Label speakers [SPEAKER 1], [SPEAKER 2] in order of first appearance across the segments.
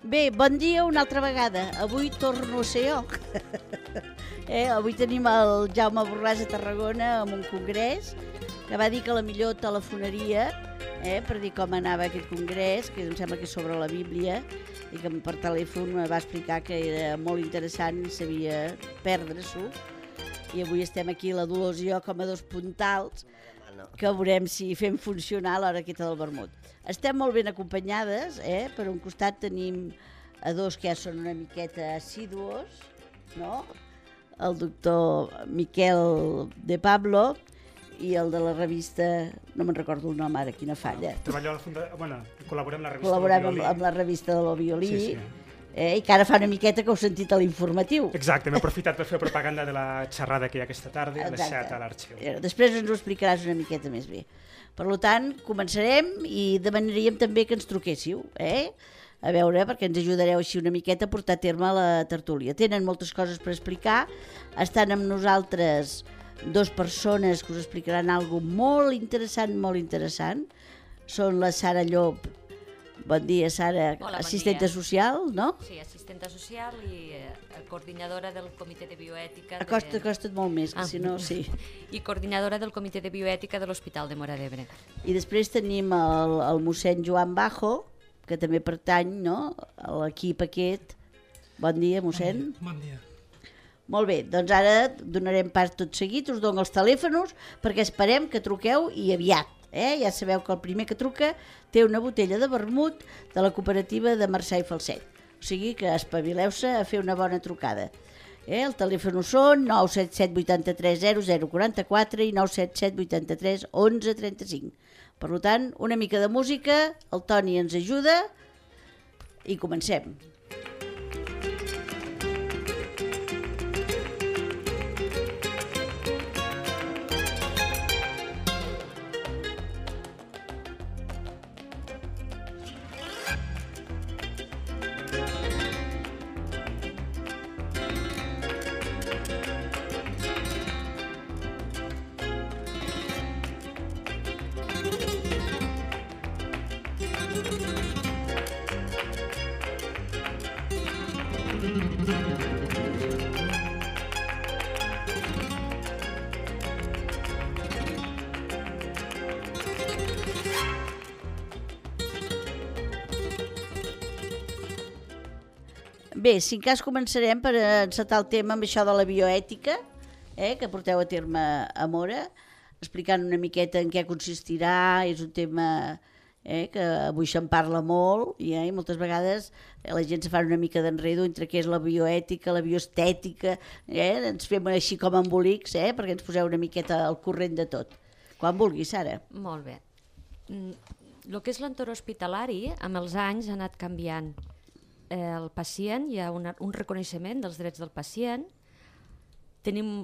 [SPEAKER 1] Bé, bon dia una altra vegada. Avui torno a ser jo. Avui tenim el Jaume Borràs a Tarragona amb un congrés que va dir que la millor telefonaria per dir com anava aquest congrés, que em sembla que és sobre la Bíblia, i que per telèfon me va explicar que era molt interessant i sabia perdre-s'ho. I avui estem aquí, la Dolors i jo, com a dos puntals, que veurem si fem funcionar l'hora aquesta del vermut. Estem molt ben acompanyades, per un costat tenim a dos que ja són una miqueta assíduos, no? El doctor Miquel de Pablo i el de la revista, no me'n recordo el nom ara, quina falla.
[SPEAKER 2] Treballo a la Fundació, col·laborem amb la revista
[SPEAKER 1] Col·laborem
[SPEAKER 2] del Violí.
[SPEAKER 1] amb la revista del Violí,
[SPEAKER 2] Sí.
[SPEAKER 1] I que ara fa una miqueta que heu sentit a l'informatiu.
[SPEAKER 2] Exacte, m'he aprofitat per fer propaganda de la xerrada que hi ha aquesta tarda a les 7 a l'Arxiu.
[SPEAKER 1] Després ens ho explicaràs una miqueta més bé. Per tant, començarem i demanaríem també que ens truquéssiu, a veure, perquè ens ajudareu així una miqueta a portar a terme la tertúlia. Tenen moltes coses per explicar, estan amb nosaltres dues persones que us explicaran alguna molt interessant. Són la Sara Llop. Bon dia, Sara.
[SPEAKER 3] Hola, bon
[SPEAKER 1] assistenta
[SPEAKER 3] dia.
[SPEAKER 1] social, no?
[SPEAKER 3] Sí, assistenta social i coordinadora del Comitè de Bioètica...
[SPEAKER 1] Acosta't molt més, que si no, sí.
[SPEAKER 3] I coordinadora del Comitè de Bioètica de l'Hospital de Móra d'Ebre.
[SPEAKER 1] I després tenim el mossèn Joan Bajo, que també pertany, no?, a l'equip aquest. Bon dia, mossèn.
[SPEAKER 4] Bon dia.
[SPEAKER 1] Molt bé, doncs ara donarem pas tot seguit, us dono els telèfons perquè esperem que truqueu i aviat. Ja sabeu que el primer que truca té una botella de vermut de la cooperativa de Marçà i Falset. O sigui que espavileu-se a fer una bona trucada. El telèfon són 977 83 0044 i 977 83 11 35. Per tant, una mica de música, el Toni ens ajuda i comencem. Bé, si en cas començarem per encetar el tema amb això de la bioètica, que porteu a terme a Móra, explicant una miqueta en què consistirà. És un tema que avui se'n parla molt i moltes vegades la gent se fa una mica d'enredo entre què és la bioètica, la bioestètica, ens fem així com embolics, perquè ens poseu una miqueta al corrent de tot. Quan vulguis, Sara.
[SPEAKER 3] Molt bé. El que és l'entorn hospitalari, amb els anys ha anat canviant. El pacient, hi ha un reconeixement dels drets del pacient, tenim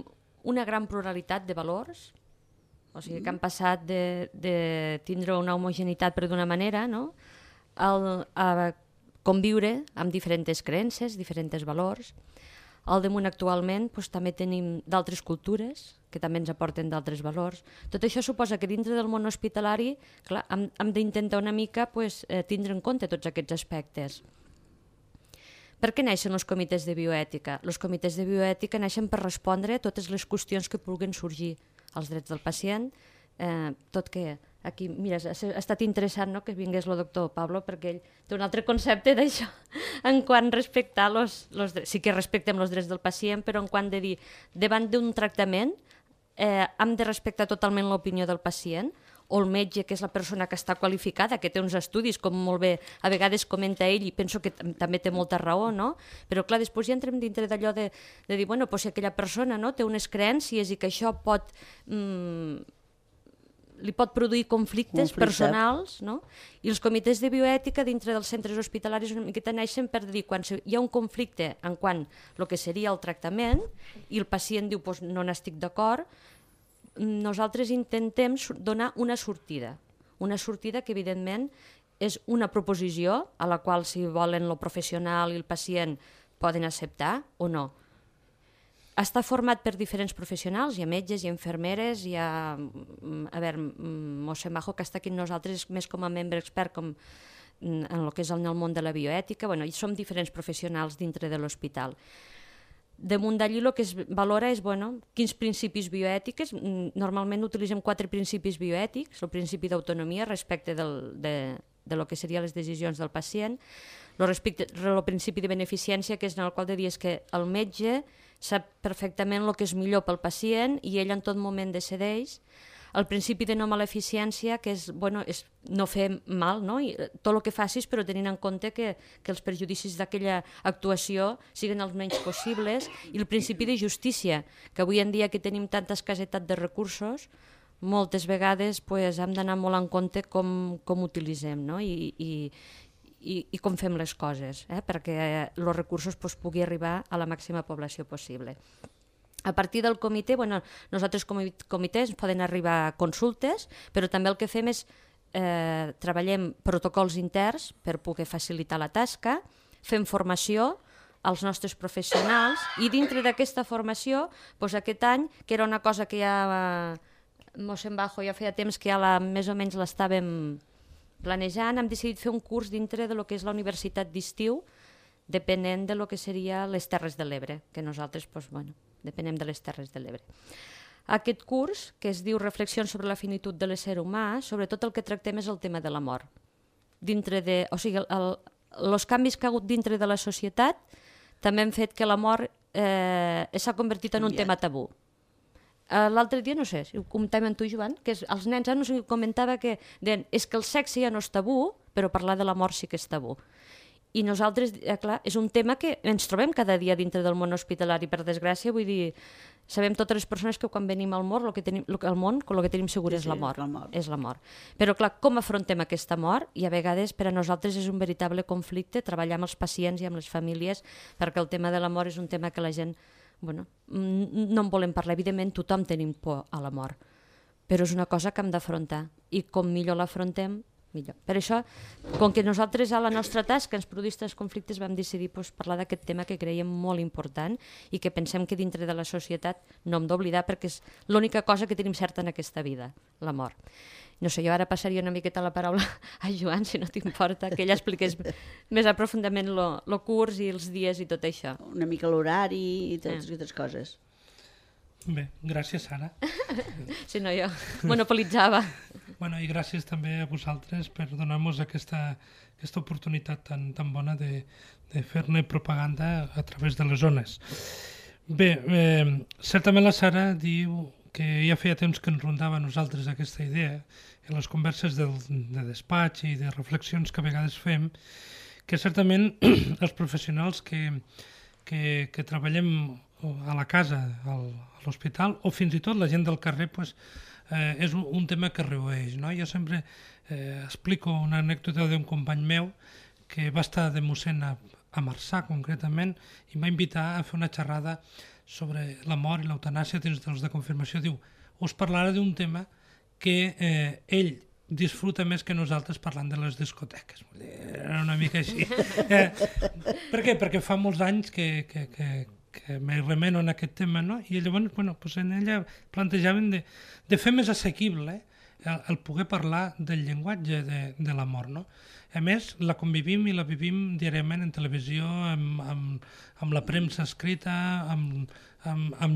[SPEAKER 3] una gran pluralitat de valors, o sigui que han passat de tindre una homogeneïtat per d'una manera, no?, a conviure amb diferents creences, diferents valors. Al damunt actualment també tenim d'altres cultures que també ens aporten d'altres valors. Tot això suposa que dintre del món hospitalari hem d'intentar una mica tindre en compte tots aquests aspectes. Per què neixen els comitès de bioètica? Els comitès de bioètica neixen per respondre a totes les qüestions que puguin sorgir als drets del pacient, tot que aquí, mira, ha estat interessant que vingués el doctor Pablo perquè ell té un altre concepte d'això en quant a respectar els drets. Sí que respectem els drets del pacient, però en quant de dir, davant d'un tractament hem de respectar totalment l'opinió del pacient, o el metge, que és la persona que està qualificada, que té uns estudis, com molt bé a vegades comenta ell, i penso que també té molta raó, no? Però clar, després ja entrem dintre d'allò de dir, bueno, si aquella persona té unes creences i que això li pot produir conflictes personals, no? I els comitès de bioètica dintre dels centres hospitalaris una miqueta neixen per dir, quan hi ha un conflicte en quant el que seria el tractament i el pacient diu, no n'estic d'acord, nosaltres intentem donar una sortida que evidentment és una proposició a la qual si volen el professional i el pacient poden acceptar o no. està format per diferents professionals, hi ha metges, hi ha infermeres, hi ha, a veure, mossèn Bajo, que està aquí amb nosaltres més com a membre expert en el que és en el món de la bioètica, bueno, i som diferents professionals dintre de l'hospital. Damunt d'allí el que es valora és quins principis bioètics. Normalment utilitzem 4 principis bioètics, el principi d'autonomia respecte de lo que serien les decisions del pacient, el principi de beneficència, que és en el qual de dir que el metge sap perfectament el que és millor pel pacient i ell en tot moment decideix. El principi de no maleficència, que és no fer mal, no? I tot el que facis, però tenint en compte que els perjudicis d'aquella actuació siguin els menys possibles. I el principi de justícia, que avui en dia que tenim tanta escassetat de recursos, moltes vegades hem d'anar molt en compte com utilitzem, no? I com fem les coses, perquè els recursos puguin arribar a la màxima població possible. A partir del comitè, nosaltres com a comitè ens poden arribar consultes, però també el que fem és treballem protocols interns per poder facilitar la tasca, fem formació als nostres professionals i dintre d'aquesta formació, aquest any, que era una cosa que ja mossèn Bajo ja feia temps que ja més o menys l'estàvem planejant, hem decidit fer un curs dintre de lo que és la universitat d'estiu, depenent de lo que seria les Terres de l'Ebre, que nosaltres, depenem de les Terres de l'Ebre. Aquest curs, que es diu Reflexions sobre la finitud de l'ésser humà, sobretot el que tractem és el tema de la mort. Els canvis que ha hagut dintre de la societat també han fet que la mort s'ha convertit en un tema tabú. L'altre dia, no sé, si ho comentàvem amb tu, Joan, que els nens no sé, comentava que és que el sexe ja no és tabú, però parlar de la mort sí que és tabú. I nosaltres, clar, és un tema que ens trobem cada dia dintre del món hospitalari, per desgràcia, vull dir, sabem totes les persones que quan venim al món, el que tenim segur és la mort. És la mort. Però, clar, com afrontem aquesta mort? I a vegades per a nosaltres és un veritable conflicte treballar amb els pacients i amb les famílies, perquè el tema de la mort és un tema que la gent, no en volem parlar. Evidentment, tothom tenim por a la mort, però és una cosa que hem d'afrontar. I com millor l'afrontem, millor. Per això, com que nosaltres a la nostra tasca ens produïssin els conflictes, vam decidir parlar d'aquest tema que creiem molt important i que pensem que dintre de la societat no hem d'oblidar perquè és l'única cosa que tenim certa en aquesta vida, la mort. No sé, jo ara passaria una miqueta la paraula a Joan, si no t'importa, que ella expliqués més aprofundament el curs i els dies i tot això.
[SPEAKER 1] Una mica l'horari i totes aquestes coses.
[SPEAKER 4] Bé, gràcies, Sara.
[SPEAKER 3] Si no, jo monopolitzava.
[SPEAKER 4] I gràcies també a vosaltres per donar-nos aquesta oportunitat tan bona de fer-ne propaganda a través de les zones. Bé, certament la Sara diu que ja feia temps que ens rondava a nosaltres aquesta idea, en les converses de despatx i de reflexions que a vegades fem, que certament els professionals que treballem a la casa, a l'hospital, o fins i tot la gent del carrer, és un tema que reoeix. Jo sempre explico una anècdota d'un company meu que va estar de mossèn a Marçà, concretament, i em va invitar a fer una xerrada sobre la mort i l'eutanàsia dins dels de confirmació. Diu, us parlarà d'un tema que ell disfruta més que nosaltres parlant de les discoteques. Era una mica així. Per què? Perquè fa molts anys que me remeno en aquest tema, no? I llavors, en ella plantejaven de fer més assequible el poder parlar del llenguatge de la mort, no? A més, la convivim i la vivim diàriament en televisió, amb la premsa escrita, amb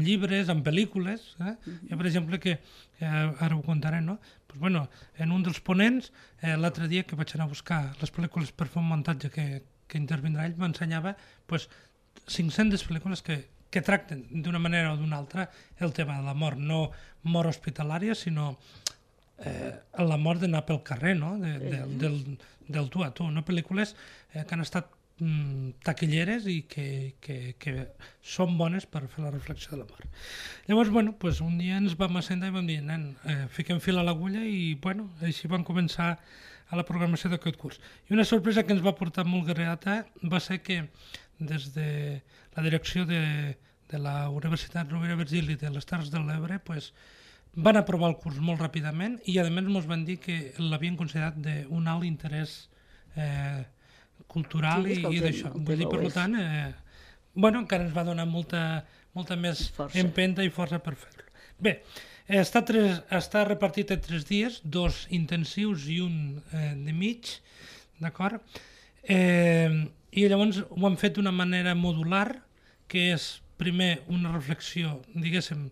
[SPEAKER 4] llibres, amb pel·lícules. Jo, per exemple, que ara ho contaré, no? En un dels ponents, l'altre dia que vaig anar a buscar les pel·lícules per fer un muntatge que intervindrà ell, m'ensenyava 500 pel·lícules que tracten d'una manera o d'una altra el tema de la mort, no mort hospitalària, sinó la mort d'anar pel carrer, no? Del tu a tu, no? Pel·lícules que han estat taquilleres i que són bones per fer la reflexió de la mort. Llavors, un dia ens vam assentar i vam dir, nen, fiquem fil a l'agulla i, així vam començar a la programació d'aquest curs. I una sorpresa que ens va portar molt grata va ser que des de la direcció de la Universitat Rovira i Virgili de les Terres de l'Ebre van aprovar el curs molt ràpidament i a més ens van dir que l'havien considerat d'un alt interès cultural i d'això. Per tant, encara ens va donar molta molta més
[SPEAKER 1] Força.
[SPEAKER 4] empenta i força per fer-lo. Bé, està repartit en 3 dies, 2 intensius i un de mig, d'acord? I llavors ho han fet d'una manera modular, que és primer una reflexió, diguéssim,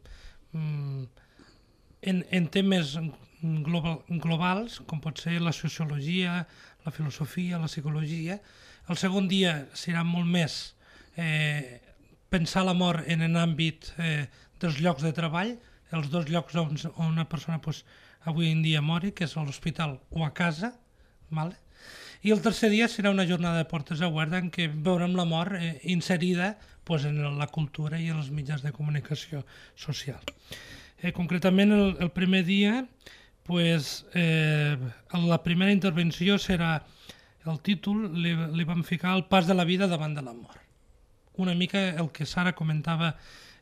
[SPEAKER 4] en temes globals, com pot ser la sociologia, la filosofia, la psicologia. El segon dia serà molt més pensar la mort en l'àmbit dels llocs de treball, els 2 llocs on una persona avui en dia mori, que és a l'hospital o a casa, vale? I el tercer dia serà una jornada de portes obertes en què veurem la mort inserida en la cultura i en els mitjans de comunicació social. Concretament, el primer dia, la primera intervenció serà, el títol li vam ficar El pas de la vida davant de la mort. Una mica el que Sara comentava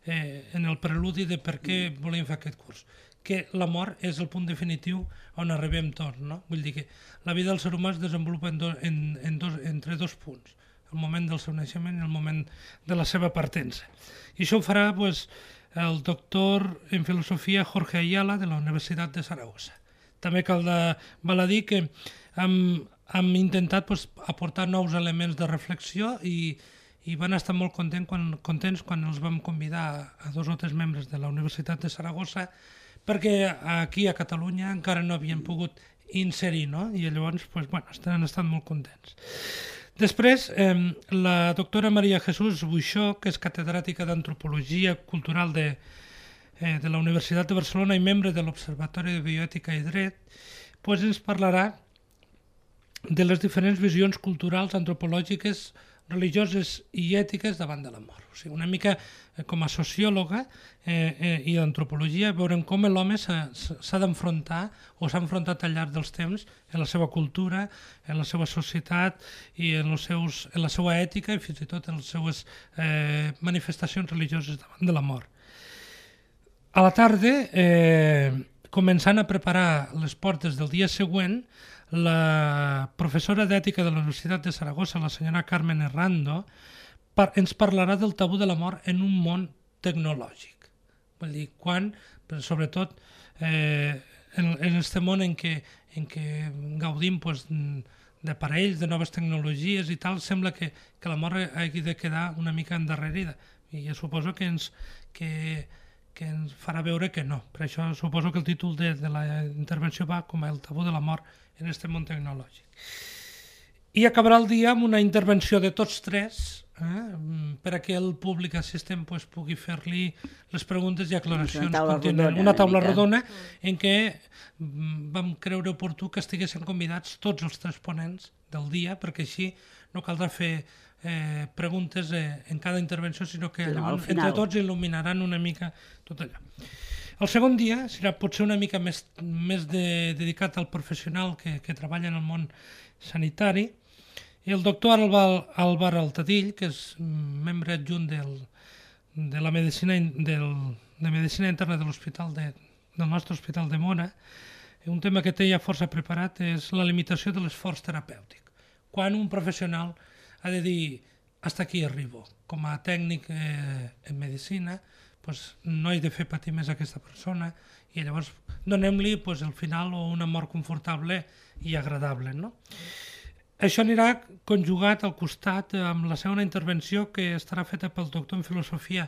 [SPEAKER 4] en el preludi de per què volem fer aquest curs, que la mort és el punt definitiu on arribem tots, no? Vull dir que la vida del ser humà es desenvolupa entre 2 punts, el moment del seu naixement i el moment de la seva partença. I això ho farà el doctor en filosofia Jorge Ayala de la Universitat de Saragossa. També val a dir que hem intentat aportar nous elements de reflexió i van estar molt contents quan els vam convidar a 2 o 3 membres de la Universitat de Saragossa, perquè aquí a Catalunya encara no havien pogut inserir, no? I llavors han estat molt contents. Després, la doctora Maria Jesús Buixó, que és catedràtica d'Antropologia Cultural de la Universitat de Barcelona i membre de l'Observatori de Bioètica i Dret, ens parlarà de les diferents visions culturals, antropològiques, religioses i ètiques davant de la mort. O sigui, una mica com a sociòloga i d'antropologia veurem com l'home s'ha d'enfrontar o s'ha enfrontat al llarg dels temps en la seva cultura, en la seva societat i en la seva ètica i fins i tot en les seves manifestacions religioses davant de la mort. A la tarda, començant a preparar les portes del dia següent, la professora d'ètica de la Universitat de Saragossa, la senyora Carmen Errando, ens parlarà del tabú de la mort en un món tecnològic. Vull dir, sobretot en aquest món en què gaudim d'aparells, de noves tecnologies i tal, sembla que la mort hagi de quedar una mica endarrerida. I jo suposo que ens farà veure que no. Per això suposo que el títol de la intervenció va com el tabú de la mort en aquest món tecnològic. I acabarà el dia amb una intervenció de tots 3 per a que el públic assistent pugui fer-li les preguntes i aclaracions. Una taula rodona en què vam creure oportú que estiguessin convidats tots els 3 ponents del dia, perquè així no caldrà fer preguntes en cada intervenció, sinó que entre tots il·luminaran una mica tot allò. El segon dia serà potser una mica més dedicat al professional que treballa en el món sanitari, i el doctor Álvar Altadill, que és membre adjunt de la medicina interna de l'hospital del nostre hospital de Mora, un tema que té ja força preparat és la limitació de l'esforç terapèutic. Quan un professional ha de dir hasta aquí arribo, com a tècnic en medicina, no he de fer patir més a aquesta persona i llavors donem-li el final o una mort confortable i agradable, no? Això anirà conjugat al costat amb la segona intervenció, que estarà feta pel doctor en filosofia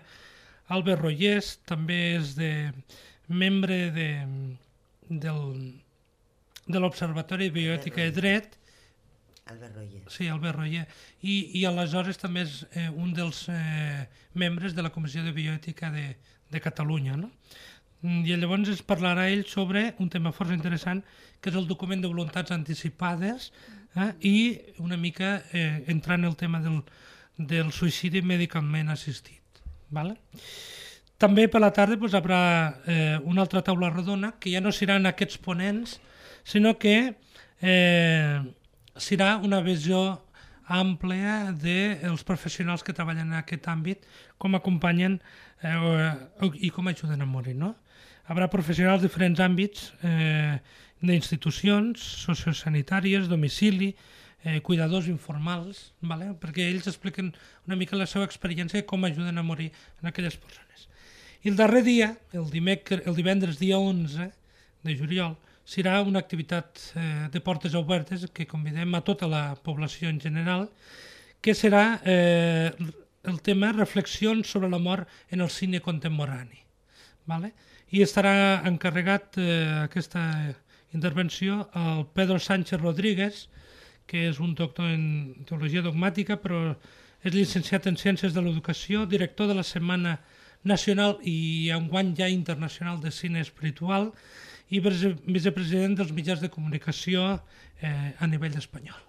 [SPEAKER 4] Albert Rollés, també és membre de l'Observatori de Bioètica i Dret.
[SPEAKER 5] Albert Roller.
[SPEAKER 4] Sí, Albert Roller. I aleshores també és un dels membres de la Comissió de Bioètica de Catalunya, no? I llavors ens parlarà ell sobre un tema força interessant, que és el document de voluntats anticipades i una mica entrar en el tema del suïcidi medicalment assistit. Vale? També per la tarda hi haurà una altra taula rodona, que ja no seran aquests ponents, sinó que serà una visió àmplia dels professionals que treballen en aquest àmbit, com acompanyen i com ajuden a morir, no? Hi haurà professionals de diferents àmbits d'institucions sociosanitàries, domicili, cuidadors informals, vale? Perquè ells expliquen una mica la seva experiència i com ajuden a morir en aquelles persones. I el darrer dia, el divendres dia 11 de juliol, serà una activitat de portes obertes que convidem a tota la població en general, que serà el tema reflexions sobre la mort en el cine contemporani. Vale? I estarà encarregat aquesta intervenció el Pedro Sánchez Rodríguez, que és un doctor en teologia dogmàtica, però és llicenciat en Ciències de l'Educació, director de la Setmana Nacional i enguany ja internacional de cine espiritual i vicepresident dels mitjans de comunicació a nivell espanyol.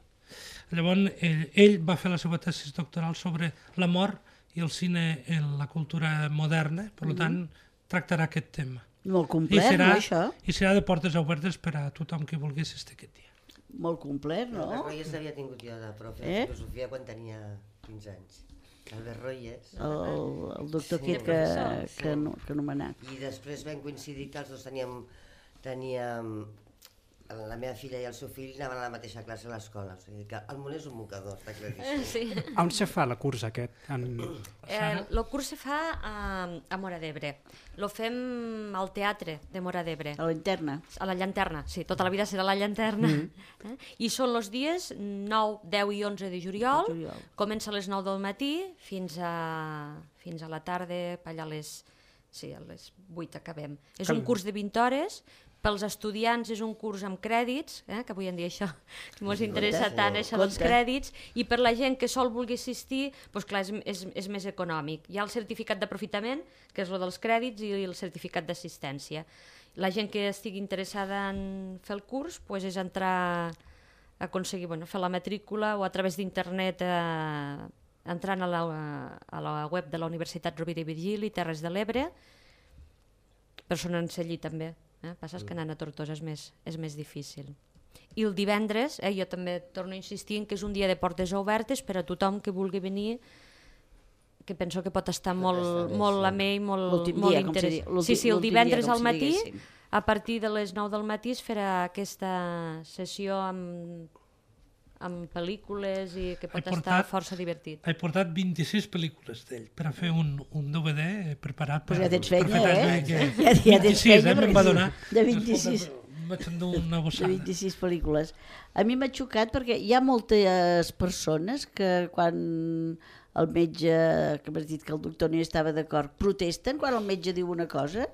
[SPEAKER 4] Llavors, ell va fer la seva tesi doctoral sobre la mort i el cine en la cultura moderna, per tant, tractarà aquest tema.
[SPEAKER 1] Molt complet, no, això?
[SPEAKER 4] I serà de portes obertes per a tothom que vulgui assistir aquest dia.
[SPEAKER 1] Molt complet, no?
[SPEAKER 5] Albert Royes l'havia tingut jo de profe de filosofia quan tenia 15 anys. Albert Royes.
[SPEAKER 1] El doctor aquest que anomenat.
[SPEAKER 5] I després vam coincidir que els dos teníem... La meva filla i el seu fill anaven a la mateixa classe a l'escola. O sigui que el món és un mocador, està claríssim.
[SPEAKER 3] Sí.
[SPEAKER 2] On se fa la curs aquest?
[SPEAKER 3] El curs se fa a Móra d'Ebre. Lo fem al teatre de Móra d'Ebre.
[SPEAKER 1] A la Llanterna.
[SPEAKER 3] A la Llanterna, sí, tota la vida serà la Llanterna. I són els dies 9, 10 i 11 de juliol. Comença a les 9 del matí fins a la tarda, allà a les 8 acabem. És un curs de 20 hores. Pels estudiants és un curs amb crèdits, que avui en dia això ens interessa tant, això dels crèdits, i per la gent que sol vulgui assistir, doncs clar, és més econòmic. Hi ha el certificat d'aprofitament, que és el dels crèdits, i el certificat d'assistència. La gent que estigui interessada en fer el curs doncs és entrar a aconseguir fer la matrícula o a través d'internet entrant a la web de la Universitat Rovira i Virgili, Terres de l'Ebre, per sonar-se allí també. Passa que anant a Tortosa és més difícil. I el divendres, jo també torno a insistir en que és un dia de portes obertes per a tothom que vulgui venir, que penso que pot estar molt amè i molt interessant. Sí, el divendres al matí, a partir de les 9 del matí es farà aquesta sessió amb pel·lícules i que pot estar força divertit.
[SPEAKER 4] He portat 26 pel·lícules d'ell per a fer un DVD preparat per...
[SPEAKER 1] Pues ja tens feina,
[SPEAKER 4] Ja tens feina, me'n va donar.
[SPEAKER 1] De 26.
[SPEAKER 4] Vaig endur una bossada.
[SPEAKER 1] De 26 pel·lícules. A mi m'ha xocat perquè hi ha moltes persones que quan el metge, que m'has dit que el doctor no hi estava d'acord, protesten quan el metge diu una cosa?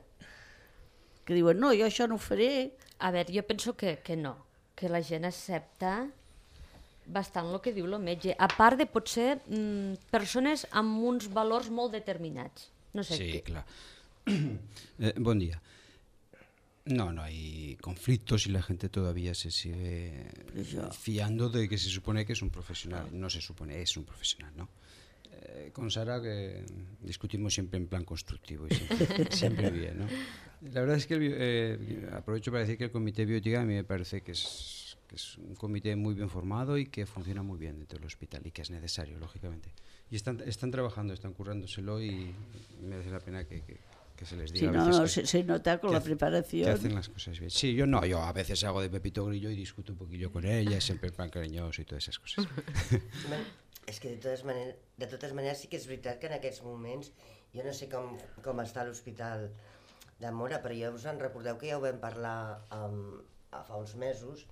[SPEAKER 1] Que diuen, no, jo això no ho faré.
[SPEAKER 3] A veure, jo penso que no, que la gent accepta bastant el que diu el metge, a part de potser persones amb uns valors molt determinats. No sé.
[SPEAKER 6] Sí, claro. Buen día. No hay conflictos y la gente todavía se sigue fiando de que se supone que es un profesional. No se supone, es un profesional, ¿no? Con Sara que discutimos siempre en plan constructivo y siempre bien, ¿no? La verdad es que aprovecho para decir que el Comité de Bioética a mí me parece que es un comité muy bien formado y que funciona muy bien dentro del hospital y que es necesario, lógicamente. Y están trabajando, están currándoselo y merece la pena que se les diga.
[SPEAKER 1] Sí, se nota con la preparación.
[SPEAKER 6] Que hacen las cosas bien. Sí, yo a veces hago de Pepito Grillo y discuto un poquillo con ella, siempre en plan cariñoso y todas esas cosas.
[SPEAKER 5] És que de totes maneres sí que és veritat que en aquests moments, jo no sé com està l'Hospital de Móra, però ja us en recordeu que ja ho vam parlar fa uns mesos.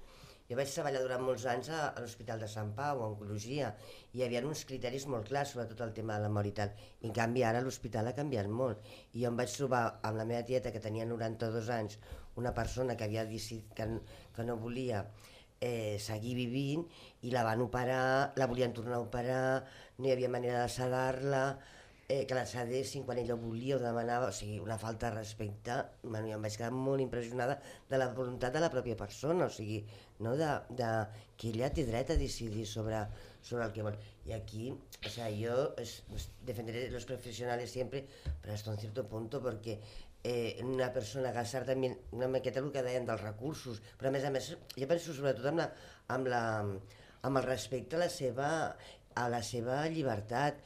[SPEAKER 5] Jo vaig treballar durant molts anys a l'Hospital de Sant Pau, a Oncologia, i hi havia uns criteris molt clars sobre tot el tema de la mort i tal. I en canvi ara l'hospital ha canviat molt. I jo em vaig trobar amb la meva tieta, que tenia 92 anys, una persona que havia decidit que no volia seguir vivint, i la van operar, la volien tornar a operar, no hi havia manera de sedar-la, que la sedessin quan ella ho volia o demanava, o sigui, una falta de respecte. Bueno, jo em vaig quedar molt impressionada de la voluntat de la pròpia persona, o sigui, no que ella té dret a decidir sobre el que vol. Y aquí, o sea, yo defenderé los profesionales siempre, pero hasta un cierto punto, porque una persona gastar també una miqueta el que deien dels recursos, però a més jo penso sobretot amb el respecte a la seva llibertat.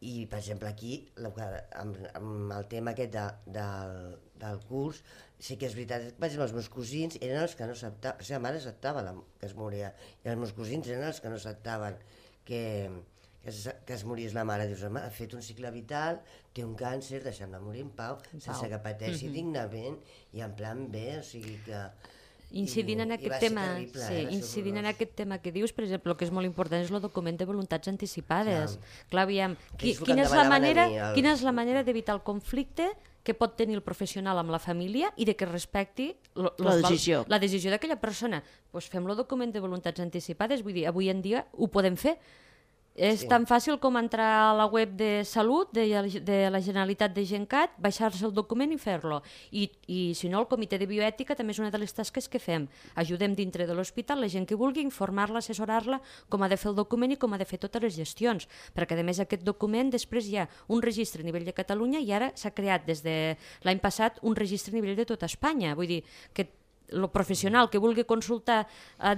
[SPEAKER 5] I, per exemple, aquí, amb el tema aquest del curs, sí que és veritat, per exemple, els meus cosins eren els que no acceptaven, la seva mare acceptava que es moria, i els meus cosins eren els que no acceptaven que es morís la mare. Dius, home, ha fet un cicle vital, té un càncer, deixem-la morir en pau, sense que pateixi dignament i en plan bé, o sigui que...
[SPEAKER 3] Incidint en aquest tema, incidint en aquest tema que dius, per exemple, el que és molt important és el document de voluntats anticipades. Clar, aviam, quina és la manera d'evitar el conflicte que pot tenir el professional amb la família i de que respecti la decisió d'aquella persona? Doncs fem el document de voluntats anticipades, vull dir, avui en dia ho podem fer. És tan fàcil com entrar a la web de Salut de la Generalitat de Gencat, baixar-se el document i fer-lo. I si no, el comitè de bioètica també és una de les tasques que fem. Ajudem dintre de l'hospital la gent que vulgui, informar-la, assessorar-la com ha de fer el document i com ha de fer totes les gestions. Perquè a més aquest document després hi ha un registre a nivell de Catalunya i ara s'ha creat des de l'any passat un registre a nivell de tota Espanya. Vull dir que el professional que vulgui consultar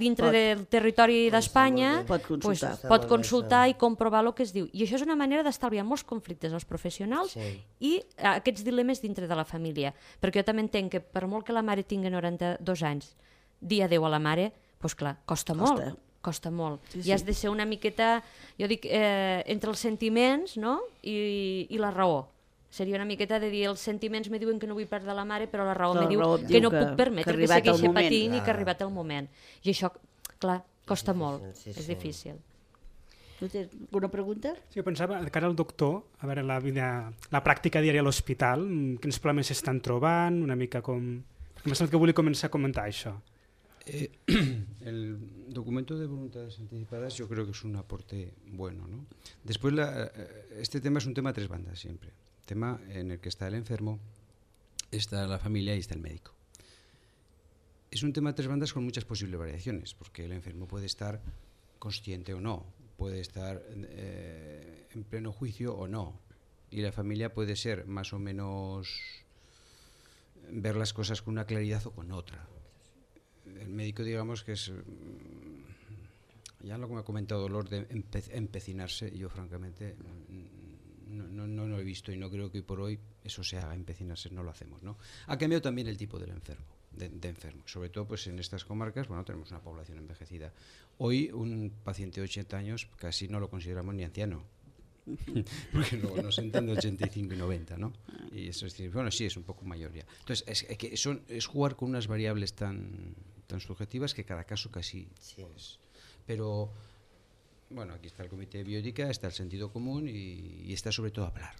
[SPEAKER 3] dintre del territori d'Espanya pot consultar i comprovar el que es diu. I això és una manera d'estalviar molts conflictes als professionals i aquests dilemes dintre de la família. Perquè jo també entenc que per molt que la mare tingui 92 anys, dir adeu a la mare, doncs clar, costa molt. Costa molt. I has de ser una miqueta, jo dic, entre els sentiments i la raó. Seria una miqueta de dir, els sentiments me diuen que no vull perdre la mare, però la raó me diu que no puc permetre que segueixi patint i que ha arribat el moment. I això, clar, costa molt, és difícil.
[SPEAKER 1] Tu tens alguna pregunta?
[SPEAKER 2] Sí, jo pensava, de cara al doctor, a veure la pràctica diària a l'hospital, quins problemes s'estan trobant, una mica com... Perquè m'ha semblat que volia començar a comentar això.
[SPEAKER 6] El documento de voluntades anticipadas yo creo que es un aporte bueno, ¿no? Después este tema es un tema a tres bandas siempre. Tema en el que está el enfermo, está la familia y está el médico. Es un tema a tres bandas con muchas posibles variaciones, porque el enfermo puede estar consciente o no, puede estar en pleno juicio o no, y la familia puede ser más o menos ver las cosas con una claridad o con otra. El médico, digamos que es, ya lo que me ha comentado Dolor, de empecinarse, yo francamente no lo he visto y no creo que hoy por hoy eso se haga, empecinarse, no lo hacemos, ¿no? Ha cambiado también el tipo del enfermo, de enfermo, sobre todo pues en estas comarcas, bueno, tenemos una población envejecida. Hoy un paciente de 80 años casi no lo consideramos ni anciano, porque luego nos entran de 85 y 90, ¿no? Y eso es decir, bueno, sí, es un poco mayor ya. Entonces, es jugar con unas variables tan subjetivas que cada caso casi es. Pero, bueno, aquí está el comité de bioética, está el sentido común y está sobre todo hablar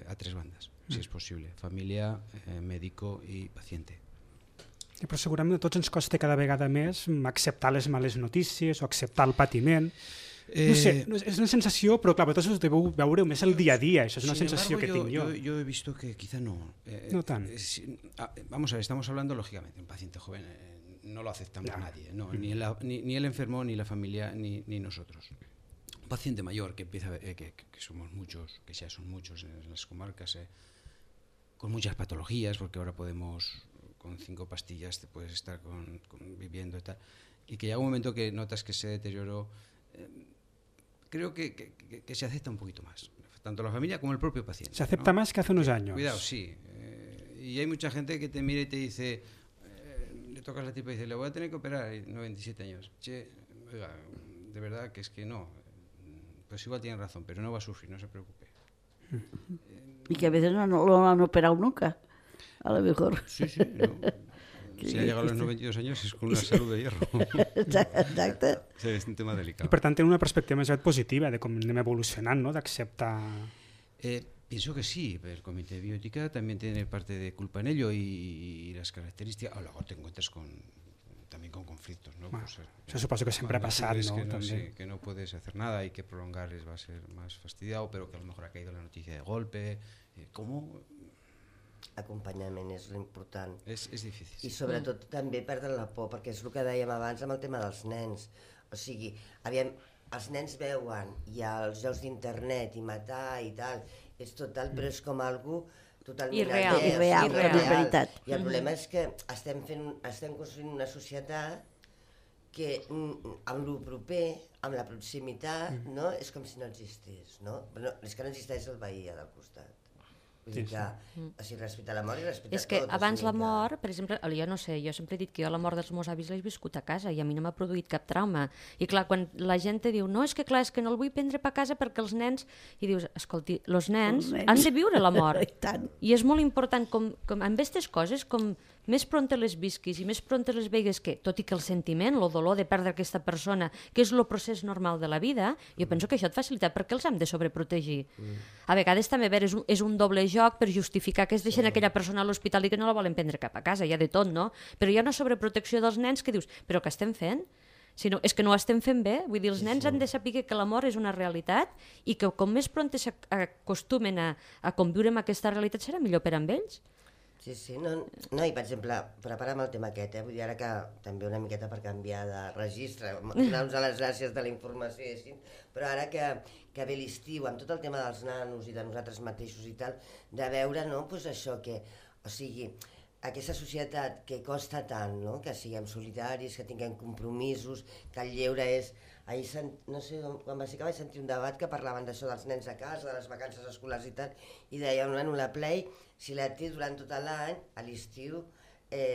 [SPEAKER 6] a tres bandas, si és possible, família, médico i pacient.
[SPEAKER 2] Però segurament a tots ens costa cada vegada més acceptar les males notícies o acceptar el patiment. No sé, és una sensació, però clar, vosaltres us deveu veure més el dia a dia, això és una sensació que tinc yo.
[SPEAKER 6] Yo he visto que quizá no.
[SPEAKER 2] No tan.
[SPEAKER 6] Vamos a ver, estamos hablando lógicamente de un paciente joven, no lo aceptamos nadie, no, ni el enfermo, ni la familia, ni nosotros. Un paciente mayor que empieza que somos muchos, que ya son muchos en las comarcas, con muchas patologías, porque ahora podemos, con 5 pastillas te puedes estar viviendo y tal, y que llega un momento que notas que ese deterioro creo que se acepta un poquito más, tanto la familia como el propio paciente.
[SPEAKER 2] Se acepta, ¿no?, más que hace unos años.
[SPEAKER 6] Cuidado, sí. Y hay mucha gente que te mira y te dice, le tocas la tipa y dice, le voy a tener que operar, y 97 años. Che, oiga, de verdad que es que no. Pues igual tiene razón, pero no va a sufrir, no se preocupe.
[SPEAKER 1] Y que a veces no lo han operado nunca, a lo mejor.
[SPEAKER 6] Sí, no. Si ha llegado a los 92 años es con una salud de hierro.
[SPEAKER 1] Exacte.
[SPEAKER 6] Sí, és un tema delicat.
[SPEAKER 2] I per tant, tenen una perspectiva més positiva de com anem evolucionant, ¿no?, d'acceptar...
[SPEAKER 6] Pienso que sí, el comité de bioética también tiene parte de culpa en ello y las características... luego te encuentras también con conflictos, ¿no?
[SPEAKER 2] Bueno,
[SPEAKER 6] pues,
[SPEAKER 2] eso suposo que siempre ha pasado, ¿no?
[SPEAKER 6] Que no puedes hacer nada y que prolongarles va a ser más fastidiado, pero que a lo mejor ha caído la noticia de golpe. ¿Cómo...?
[SPEAKER 5] Acompanyament és l'important.
[SPEAKER 6] És difícil.
[SPEAKER 5] I sobretot també perdre la por, perquè és el que dèiem abans amb el tema dels nens. O sigui, aviam, els nens veuen i els jocs d'internet i matar i tal, és total, però és com algo totalment
[SPEAKER 3] irreal,
[SPEAKER 1] veritat.
[SPEAKER 5] I el problema és que estem construint una societat que amb lo proper, amb la proximitat, no? És com si no existís, no? Però és que no existeix el veí del costat. Vull dir que, o sigui, respecte a la mort i respecte
[SPEAKER 3] És que
[SPEAKER 5] a tot.
[SPEAKER 3] abans la mort, per exemple, jo no sé, jo sempre he dit que jo la mort dels meus avis l'he viscut a casa i a mi no m'ha produït cap trauma. I clar, quan la gent te diu, no, és que clar, és que no el vull prendre per casa perquè els nens... I dius, escolti, els nens han de viure la mort.
[SPEAKER 1] I tant.
[SPEAKER 3] I és molt important, com amb aquestes coses, com més pront les visquis i més pront les veigues que, tot i que el sentiment, el dolor de perdre aquesta persona, que és el procés normal de la vida, jo penso que això et facilita perquè els hem de sobreprotegir. A vegades també és un doble joc per justificar que es deixen aquella persona a l'hospital i que no la volen prendre cap a casa, hi ha de tot, no? Però hi ha una sobreprotecció dels nens que dius, però què estem fent? Si no, és que no ho estem fent bé, vull dir, els nens han de saber que la mort és una realitat i que com més pront s'acostumen a conviure amb aquesta realitat serà millor per amb ells.
[SPEAKER 5] Sí, no, i per exemple, prepara'm el tema aquest, vull dir, ara que també una miqueta per canviar de registre, donar-nos les gràcies de la informació i així, però ara que ve l'estiu, amb tot el tema dels nanos i de nosaltres mateixos i tal, de veure, no?, doncs això que, o sigui, aquesta societat que costa tant, no?, que siguem solidaris, que tinguem compromisos, que el lleure és... Ahir, no sé, quan va ser que vaig sentir un debat que parlaven d'això dels nens a casa, de les vacances escolars i tal, i deia, bueno, la Play, si la té durant tot l'any, a l'estiu,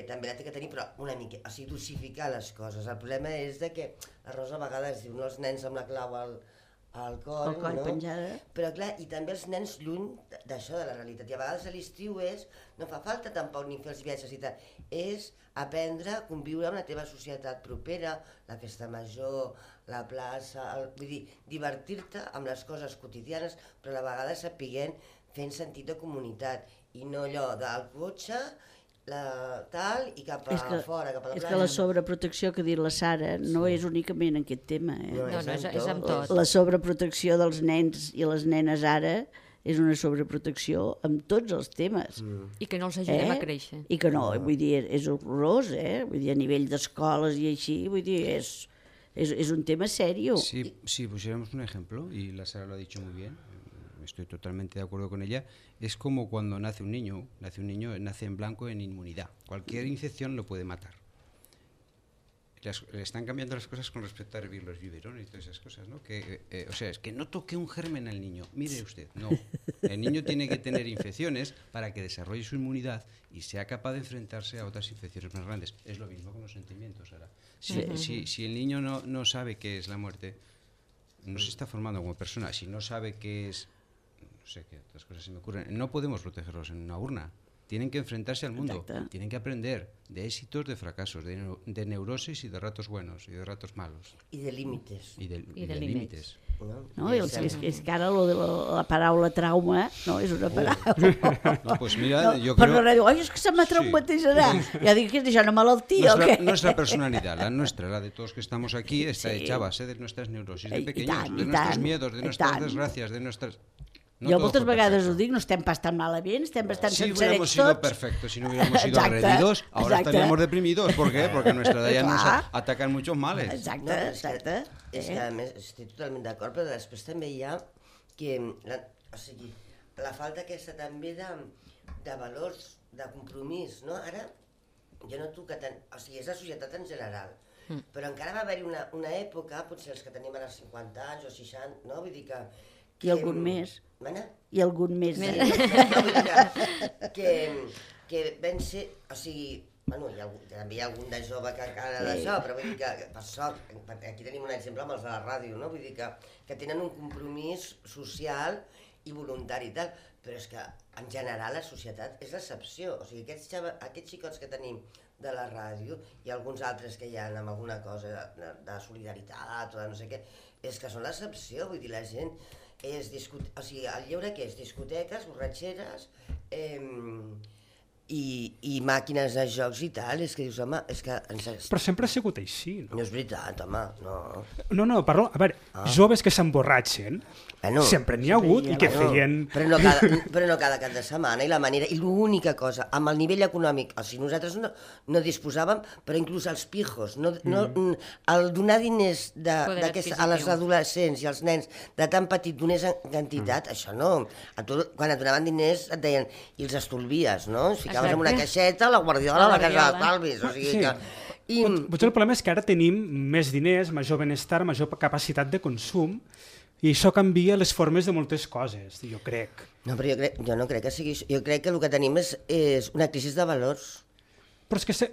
[SPEAKER 5] també la té que tenir, però una mica, o sigui, dosificar les coses. El problema és de que la Rosa a vegades diu, no, els nens amb la clau al coll, no?
[SPEAKER 1] Penjada.
[SPEAKER 5] Però clar, i també els nens lluny d'això, de la realitat. I a vegades a l'estiu no fa falta tampoc ni fer els viatges i tal, és aprendre a conviure amb la teva societat propera, la festa major, la plaça, vull dir, divertir-te amb les coses quotidianes, però a la vegada sapiguent fent sentit de comunitat i no allò del cotxe, tal, i cap a fora, cap a la plaça.
[SPEAKER 1] És que la sobreprotecció que ha dit la Sara no és únicament en aquest tema.
[SPEAKER 3] No, és amb tot.
[SPEAKER 1] La sobreprotecció dels nens i les nenes ara és una sobreprotecció amb tots els temes.
[SPEAKER 3] I que no els ajudem a créixer.
[SPEAKER 1] I que no, vull dir, és horrorós, vull dir, a nivell d'escoles i així, vull dir, es un tema serio.
[SPEAKER 6] Si pusiéramos un ejemplo, y la Sara lo ha dicho muy bien, estoy totalmente de acuerdo con ella, es como cuando nace un niño nace en blanco en inmunidad. Cualquier infección lo puede matar. Le están cambiando las cosas con respecto a hervir los biberones y todas esas cosas, ¿no? O sea, es que no toque un germen al niño. Mire usted, no. El niño tiene que tener infecciones para que desarrolle su inmunidad y sea capaz de enfrentarse a otras infecciones más grandes. Es lo mismo con los sentimientos ahora. Si el niño no sabe qué es la muerte, no se está formando como persona. Si no sabe qué es... No sé qué otras cosas se me ocurren. No podemos protegerlos en una urna. Tienen que enfrentarse al mundo.
[SPEAKER 1] Exacte.
[SPEAKER 6] Tienen que aprender de éxitos, de fracasos, de neurosis y de ratos buenos y de ratos malos.
[SPEAKER 5] I de límites.
[SPEAKER 6] Y de límites.
[SPEAKER 1] No, és que ara la paraula trauma no és una paraula.
[SPEAKER 6] No, pues mira, yo
[SPEAKER 1] per
[SPEAKER 6] creo...
[SPEAKER 1] no diu, oi, és que se m'ha traumatitzarà. Ja dic que és una malaltia, o què?
[SPEAKER 6] Nuestra personalidad, la nuestra, la de todos que estamos aquí, está hecha a base de nuestras neurosis de pequeños, de nuestros miedos, de nuestras desgracias, de nuestras...
[SPEAKER 1] Jo moltes vegades ho dic, no estem pas tan malament, estem bastant
[SPEAKER 6] si
[SPEAKER 1] sencerets
[SPEAKER 6] hubiéramos sido
[SPEAKER 1] tots.
[SPEAKER 6] perfectos, si no hubiéramos sido agredidos, ahora estaríamos deprimidos. ¿Por qué? Porque a nuestra edad ya nos atacan muchos males.
[SPEAKER 1] Exacte.
[SPEAKER 5] És que a més estic totalment d'acord, però després també hi ha que, o sigui, la falta aquesta també de valors, de compromís, no? Ara, jo noto que, o sigui, és la societat en general, però encara va haver-hi una època, potser els que tenim ara 50 anys o 60, no? Vull dir que...
[SPEAKER 1] I algun més. I algun més.
[SPEAKER 5] Que van ser, o sigui, bueno, també hi ha algun de jove que encara d'això, però vull dir que, per sort, aquí tenim un exemple amb els de la ràdio, no? Vull dir que tenen un compromís social i voluntari i tal, però és que en general la societat és l'excepció, o sigui, aquests xicots que tenim de la ràdio i alguns altres que hi ha amb alguna cosa de solidaritat o de no sé què, és que són l'excepció, vull dir, la gent o sigui, el lleure que és discoteques, borratxeres i màquines de jocs i tal, és que dius, home, és que...
[SPEAKER 2] Però sempre ha sigut així, no?
[SPEAKER 5] No és veritat, home, no.
[SPEAKER 2] No, parlo, a veure, joves que s'emborratxen, sempre n'hi ha hagut i que feien...
[SPEAKER 5] Però no cada cap de setmana, i la manera... I l'única cosa, amb el nivell econòmic, o sigui, nosaltres no disposàvem, però inclús els pijos, el donar diners a les adolescents i als nens de tan petit donés quantitat, això no. Quan et donaven diners et deien, i els estolvies, no? Ficaves en una caixeta, la guardiola, la casa d'estalvis, o sigui que...
[SPEAKER 2] Potser el problema és que ara tenim més diners, major benestar, major capacitat de consum, I això canvia les formes de moltes coses, jo crec.
[SPEAKER 5] No, però jo no crec que sigui això. Jo crec que el que tenim és una crisi de valors.
[SPEAKER 2] Però és que...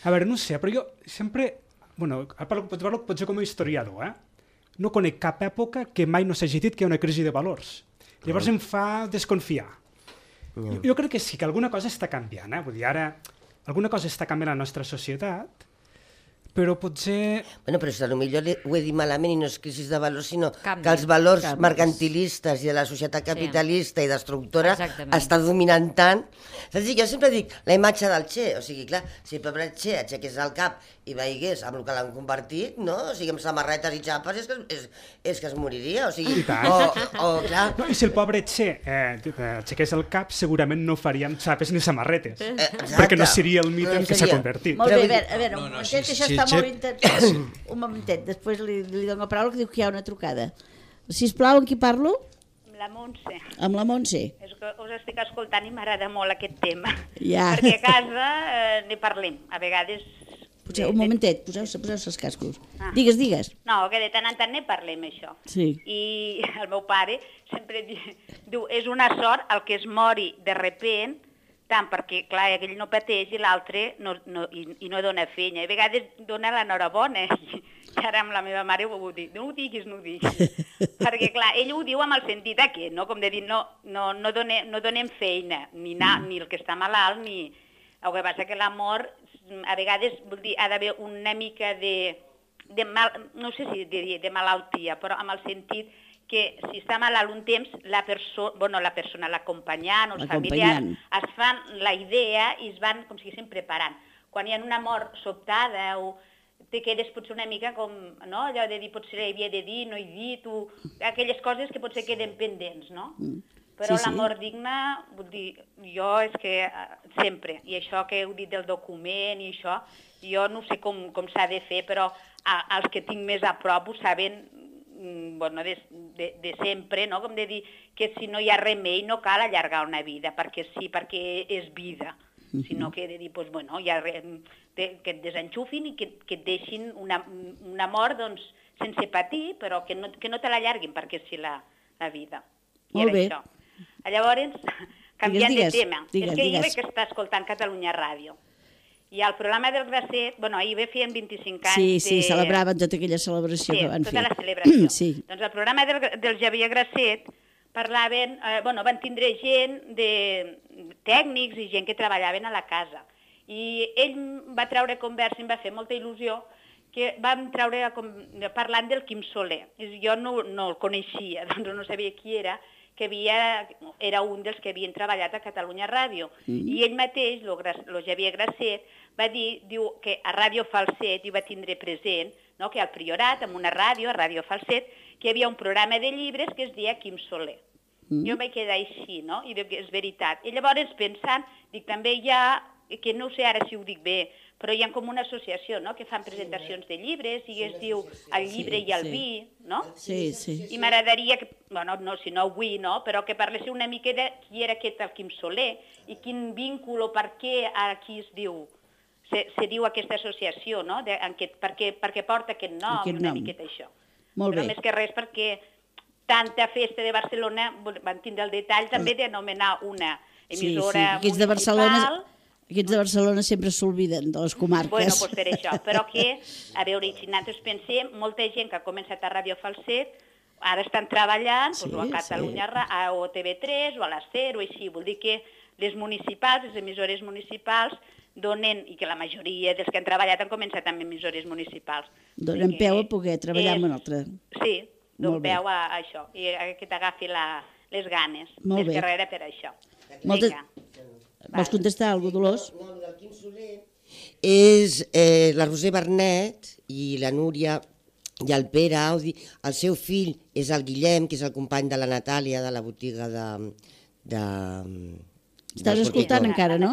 [SPEAKER 2] A veure, no sé, però jo sempre... Bueno, parlo potser com a historiador, no conec cap època que mai no s'hagi dit que hi ha una crisi de valors. Llavors em fa desconfiar. Jo crec que sí, que alguna cosa està canviant. Vull dir, ara alguna cosa està canviant a la nostra societat, però potser...
[SPEAKER 5] Bueno, però potser ho he dit malament i no és crisi de valors, sinó
[SPEAKER 3] Canvis.
[SPEAKER 5] que els valors mercantilistes i de la societat capitalista i destructora està dominant tant. Saps? Jo sempre dic la imatge del Che, o sigui, clar, si el pobre Che aixequés el cap i veigués amb el que l'han convertit, no? O sigui, amb samarretes i xapes, és que es moriria, o sigui... clar...
[SPEAKER 2] No, i si el pobre Che aixequés el cap, segurament no faríem xapes ni samarretes, perquè no seria el mite en què s'ha convertit.
[SPEAKER 1] Molt bé, a veure, un momentet, això està molt interessant. Un momentet, després li dono la paraula que diu que hi ha una trucada. Sisplau, amb qui parlo?
[SPEAKER 7] Amb la Montse.
[SPEAKER 1] Amb la Montse.
[SPEAKER 7] És que us estic escoltant i m'agrada molt aquest tema.
[SPEAKER 1] Ja.
[SPEAKER 7] Perquè a casa ne parlem. A vegades...
[SPEAKER 1] Un momentet, poseu els cascos. Digues.
[SPEAKER 7] No, que de tant en tant ne parlem, això.
[SPEAKER 1] Sí.
[SPEAKER 7] I el meu pare sempre diu, és una sort el que es mori de repent, tant perquè, clar, aquell no pateix i l'altre no dona feina. I a vegades dona l'enhorabona. I ara amb la meva mare ho dic, no ho diguis. Perquè, clar, ell ho diu amb el sentit aquest, no? Com de dir, no donem feina, ni el que està malalt, ni... El que passa que la mort, a vegades, vol dir, ha d'haver una mica de no sé si diria de malaltia, però amb el sentit que si està malalt un temps, la persona, l'acompanyant o els familiars, es fan la idea i es van, com si diguéssim, preparant. Quan hi ha una mort sobtada o te quedes potser una mica com, no? Allò de dir, potser havia de dir, no he dit, o aquelles coses que potser queden pendents, no? Però la mort digna, vull dir, jo és que sempre, i això que heu dit del document i això, jo no sé com s'ha de fer, però els que tinc més a prop ho saben, bueno, de sempre, no? Com de dir que si no hi ha remei no cal allargar una vida, perquè sí, perquè és vida, sinó que he de dir, doncs, bueno, que et desenxufin i que et deixin una mort, doncs, sense patir, però que no te l'allarguin, perquè sí la vida.
[SPEAKER 1] Molt bé.
[SPEAKER 7] Llavors, canviant de tema, és que
[SPEAKER 1] digues.
[SPEAKER 7] ahir vaig estar escoltant Catalunya Ràdio i el programa del Grasset, bueno, ahir feien 25 anys
[SPEAKER 1] Sí, celebraven tota aquella celebració que van fer.
[SPEAKER 7] Sí, tota la celebració.
[SPEAKER 1] Sí.
[SPEAKER 7] Doncs el programa del Xavier Grasset parlaven, van tindre gent de tècnics i gent que treballaven a la casa. I ell va treure conversa, em va fer molta il·lusió, que vam treure parlant del Quim Soler. Jo no el coneixia, doncs no sabia qui era, que era un dels que havien treballat a Catalunya Ràdio. I ell mateix, el Xavier Grasset, va dir que a Ràdio Falset hi va tindre present, que al Priorat, en una ràdio, a Ràdio Falset, que hi havia un programa de llibres que es deia Quim Soler. Jo em vaig quedar així, no? I dic que és veritat. I llavors pensant, dic, també hi ha, que no sé ara si ho dic bé, però hi ha com una associació, no?, que fan presentacions de llibres i es diu El llibre i el vi, no?
[SPEAKER 1] Sí.
[SPEAKER 7] I m'agradaria que, bueno, no, si no avui, no?, però que parléssiu una mica de qui era aquest el Quim Soler i quin vínculo, per què aquí es diu, se diu aquesta associació, no?, perquè porta aquest nom i una miqueta això.
[SPEAKER 1] Molt bé.
[SPEAKER 7] Però més que res perquè tanta festa de Barcelona van tindre el detall també d'anomenar una emissora municipal.
[SPEAKER 1] Aquests de Barcelona sempre s'olviden de les comarques.
[SPEAKER 7] Bueno, doncs per això, però que, a veure, si nosaltres pensem, molta gent que ha començat a Ràdio Falset, ara estan treballant o a Catalunya, o TV3, o a la SER, o així. Vol dir que les municipals, les emissores municipals, donen, i que la majoria dels que han treballat han començat amb emissores municipals.
[SPEAKER 1] Donen peu a poder treballar amb un altre.
[SPEAKER 7] Sí, donen peu a això, i que t'agafi les ganes. Més que res per això. Vinga.
[SPEAKER 1] Vols contestar alguna cosa, Dolors?
[SPEAKER 5] No, el Quim Soler és la Roser Bernet i la Núria i el Pere Audi. El seu fill és el Guillem, que és el company de la Natàlia de la botiga de...
[SPEAKER 1] Estàs escoltant encara, no?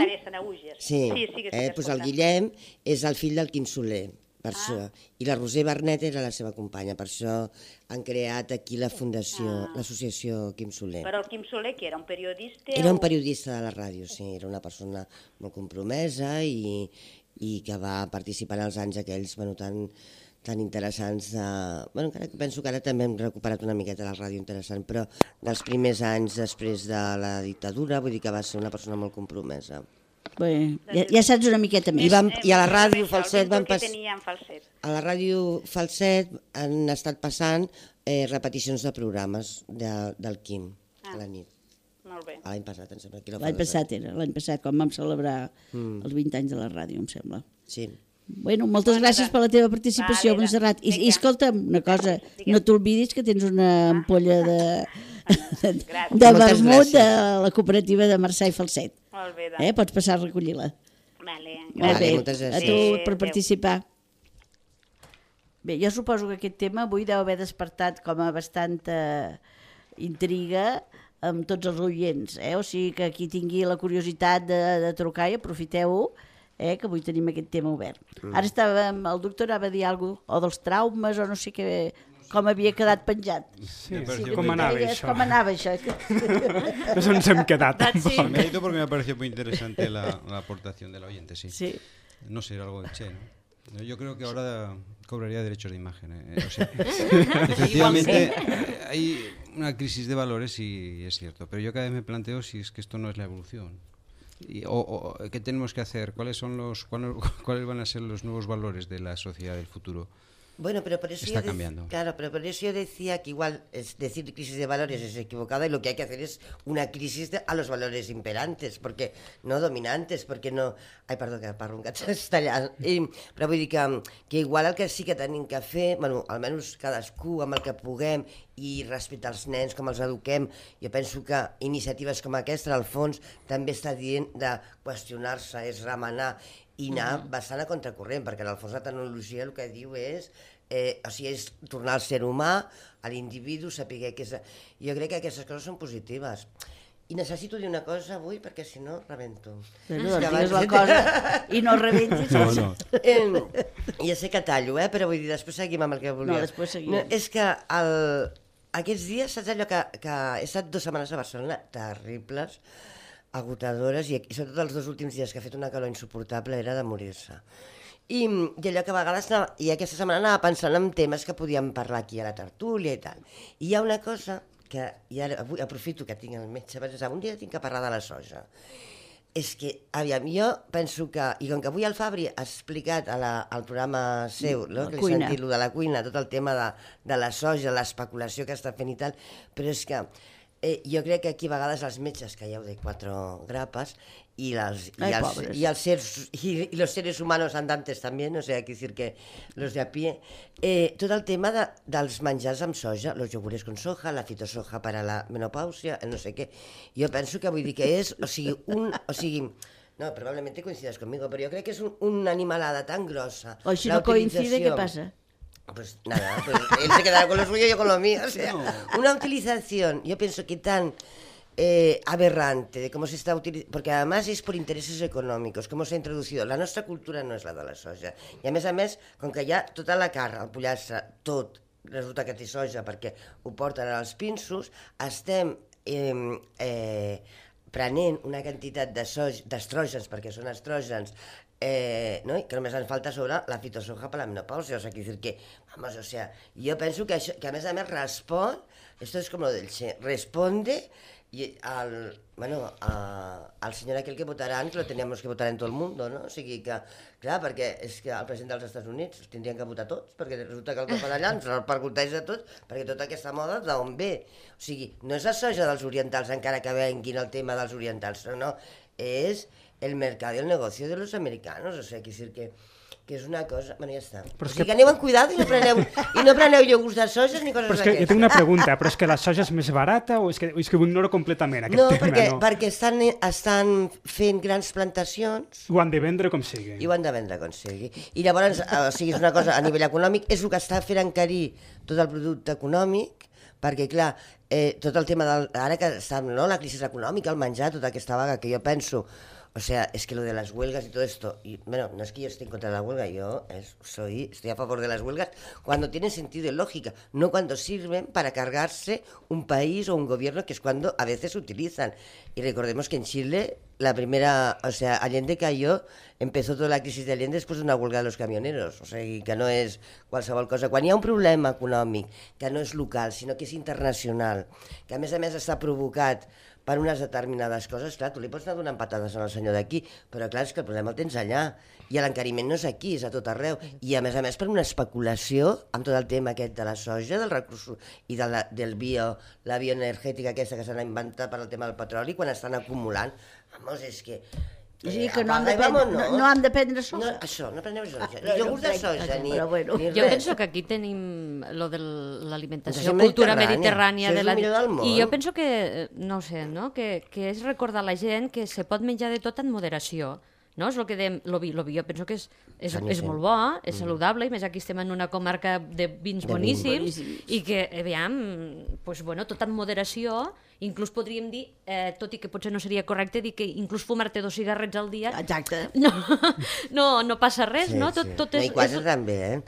[SPEAKER 5] Sí, doncs el Guillem és el fill del Quim Soler. Per això. I la Roser Bernet era la seva companya, per això han creat aquí la fundació, l'associació Quim Soler.
[SPEAKER 7] Però el Quim Soler, que era un periodista?
[SPEAKER 5] Era un periodista de la ràdio, sí, era una persona molt compromesa i que va participar en els anys aquells, bueno, tan interessants. Encara que penso que ara també hem recuperat una miqueta la ràdio interessant, però dels primers anys després de la dictadura, vull dir que va ser una persona molt compromesa.
[SPEAKER 1] Bé, ja saps una miqueta més.
[SPEAKER 5] I a la ràdio Falset van
[SPEAKER 7] A
[SPEAKER 5] la ràdio Falset han estat passant repeticions de programes del Quim a la nit.
[SPEAKER 7] Molt bé.
[SPEAKER 5] L'any passat, em sembla.
[SPEAKER 1] L'any passat, quan vam celebrar els 20 anys de la ràdio, em sembla.
[SPEAKER 5] Sí.
[SPEAKER 1] Bueno, moltes gràcies per la teva participació, Montserrat. I escolta'm una cosa, no t'oblidis que tens una ampolla de vermut de la cooperativa de Marçà i Falset.
[SPEAKER 7] Molt bé,
[SPEAKER 1] Pots passar a recollir-la.
[SPEAKER 7] Vale,
[SPEAKER 5] moltes gràcies.
[SPEAKER 1] A tu per participar. Bé, jo suposo que aquest tema avui deu haver despertat com a bastanta intriga amb tots els oients, o sigui que qui tingui la curiositat de trucar i aprofiteu-ho, que avui tenim aquest tema obert. Ara el doctor anava a dir alguna cosa, o dels traumes, o no sé què, com havia quedat penjat.
[SPEAKER 2] Sí, com anava això?
[SPEAKER 1] Com anava això?
[SPEAKER 2] No ens hem quedat.
[SPEAKER 6] Me ha ido porque me ha parecido muy interesante la aportación del oyente, sí. No sé, algo de Che, ¿no? Yo creo que ahora cobraría derechos de imagen. O sea, efectivamente, hay una crisis de valores y es cierto, pero yo cada vez me planteo si es que esto no es la evolución. O ¿qué tenemos que hacer? ¿Cuáles van a ser los nuevos valores de la sociedad del futuro?
[SPEAKER 5] Bueno, pero por eso
[SPEAKER 6] está cambiando.
[SPEAKER 5] Claro, pero por eso yo decía que igual decir crisis de valores es equivocado y lo que hay que hacer es una crisis a los valores imperantes, porque no dominantes, porque no... Ai, perdó, que parlo un gat tallant. Però vull dir que igual el que sí que tenim que fer, bueno, almenys cadascú amb el que puguem i respectar els nens, com els eduquem, jo penso que iniciatives com aquesta, al fons, també està dient de qüestionar-se, és remenar i anar bastant a contracorrent, perquè en el fons la tecnologia el que diu és és tornar al ser humà, a l'individu, saber què és... Jo crec que aquestes coses són positives. I necessito dir una cosa avui, perquè si no, rebento.
[SPEAKER 1] Digues la cosa i no rebentis.
[SPEAKER 5] Ja sé que tallo, però vull dir, després seguim amb el que volia.
[SPEAKER 1] No, després seguim.
[SPEAKER 5] És que aquests dies, saps allò que he estat 2 setmanes a Barcelona, terribles, agotadores, i sobretot els 2 últims dies que ha fet una calor insuportable era de morir-se. I allò que a vegades i aquesta setmana anava pensant en temes que podíem parlar aquí a la tertúlia i tal. I hi ha una cosa que avui aprofito que tinc el metge, un dia tinc que parlar de la soja. És que, aviam, jo penso que, i com que avui el Fabri ha explicat al programa seu, que li he sentit de la cuina, tot el tema de la soja, l'especulació que està fent i tal, però és que jo crec que aquí a vegades els metges calleu de 4 grapes y los seres humanos andantes también, o sea, hay que decir que los de a pie, tot el tema dels menjars amb soja, los yogures con soja, la fitosoja para la menopausia, no sé què, jo penso que vull dir que és, no, probablemente coincidas conmigo, pero yo creo que es una animalada tan grosa.
[SPEAKER 1] O si no coincide, ¿qué pasa?
[SPEAKER 5] Pues nada, pues él se quedará con lo suyo y yo con lo mío, o sea, una utilización, yo pienso que tan aberrante de cómo se está utilizando, porque además es por intereses econòmics, cómo se ha introducido. La nostra cultura no és la de la soja. I a més, com que hi ha tota la carn, el pollastre, tot, resulta que té soja perquè ho porten als pinsos, estem prenent una quantitat d'estrògens, perquè són estrògens, no? Que només ens falta sobre la fitosoja per la menopausia, o sigui, que, vamos, o sea, jo penso que això, que a més respon, esto es como lo del Che, responde al senyor aquell que votaran, que lo teníamos que votar en tot el món, no? O sigui que, clar, perquè és que el president dels Estats Units els tindrien que votar tots, perquè resulta que el que fa d'allà ens repercuteix a tots, perquè tota aquesta moda d'on ve? O sigui, no és la soja dels orientals, encara que venguin el tema dels orientals, no, és el mercat i el negoci de los americanos, o sigui, que és una cosa... Bueno, ja està. O sigui que aneu amb cuidado i no preneu iogurts de soja ni coses d'aquestes.
[SPEAKER 2] Però és que jo tinc una pregunta, però és que la soja és més barata o és que ho ignoro completament, aquest tema?
[SPEAKER 5] No, perquè estan fent grans plantacions...
[SPEAKER 2] Ho han de vendre com sigui.
[SPEAKER 5] I ho han de vendre com sigui. I llavors, o sigui, és una cosa a nivell econòmic, és el que està fent encarir tot el producte econòmic, perquè, clar, tot el tema ara que està la crisi econòmica, el menjar, tota aquesta vaga, que jo penso... O sea, es que lo de las huelgas y todo esto, y, bueno, no es que yo esté en contra de la huelga, estoy a favor de las huelgas cuando tienen sentido y lógica, no cuando sirven para cargarse un país o un gobierno, que es cuando a veces utilizan. Y recordemos que en Chile la primera, o sea, Allende cayó, empezó toda la crisis de Allende después de una huelga de los camioneros, o sigui que no és qualsevol cosa. Quan hi ha un problema econòmic que no és local, sinó que és internacional, que a més està provocat per unes determinades coses, clar, tu li pots anar donant patades al senyor d'aquí, però clar, és que el problema el tens allà, i l'encariment no és aquí, és a tot arreu, i a més per una especulació amb tot el tema aquest de la soja, del recurs i la bioenergètica aquesta que s'ha inventat per al tema del petroli, quan estan acumulant, vamos, és que...
[SPEAKER 1] O sigui que no hem de prendre soja.
[SPEAKER 5] Això, no preneu soja, ni iogurt de soja, ni res.
[SPEAKER 3] Jo penso que aquí tenim lo de l'alimentació, cultura mediterrània. I jo penso que, no ho sé, que és recordar a la gent que se pot menjar de tot en moderació. No? És el que dèiem, lo vi jo penso que és molt bo, és saludable, i més aquí estem en una comarca de vins boníssims, i que, aviam, tot en moderació, inclús podríem dir, tot i que potser no seria correcte, dir que inclús fumar-te 2 cigarrets al dia...
[SPEAKER 1] Exacte.
[SPEAKER 3] No passa res, no?
[SPEAKER 5] Tot és... I quasi també,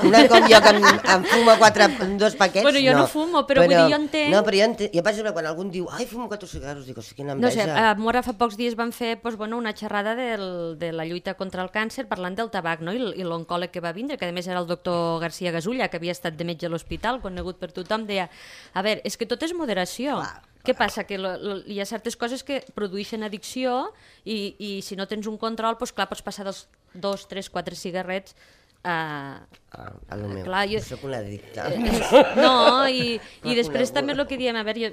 [SPEAKER 5] Una com jo que em fumo 2 paquets,
[SPEAKER 3] bueno, jo no fumo, però vull dir, jo entenc...
[SPEAKER 5] No, però jo entenc... Jo, per exemple, quan algú diu, ai, fumo 4 cigarros, dic, hosti, quina enveja.
[SPEAKER 3] No sé, a Mora fa pocs dies van fer una xerrada de la lluita contra el càncer parlant del tabac, no? I l'oncòleg que va vindre, que a més era el doctor García Gasulla, que havia estat de metge a l'hospital, conegut per tothom, deia, a veure, és que tot és moderació. Què passa? Que hi ha certes coses que produeixen addicció i si no tens un control, doncs clar, pots passar dels 2, 3, 4 cigarrets
[SPEAKER 5] a lo meu, jo soc una addicta.
[SPEAKER 3] No, i després també el que diem, a veure,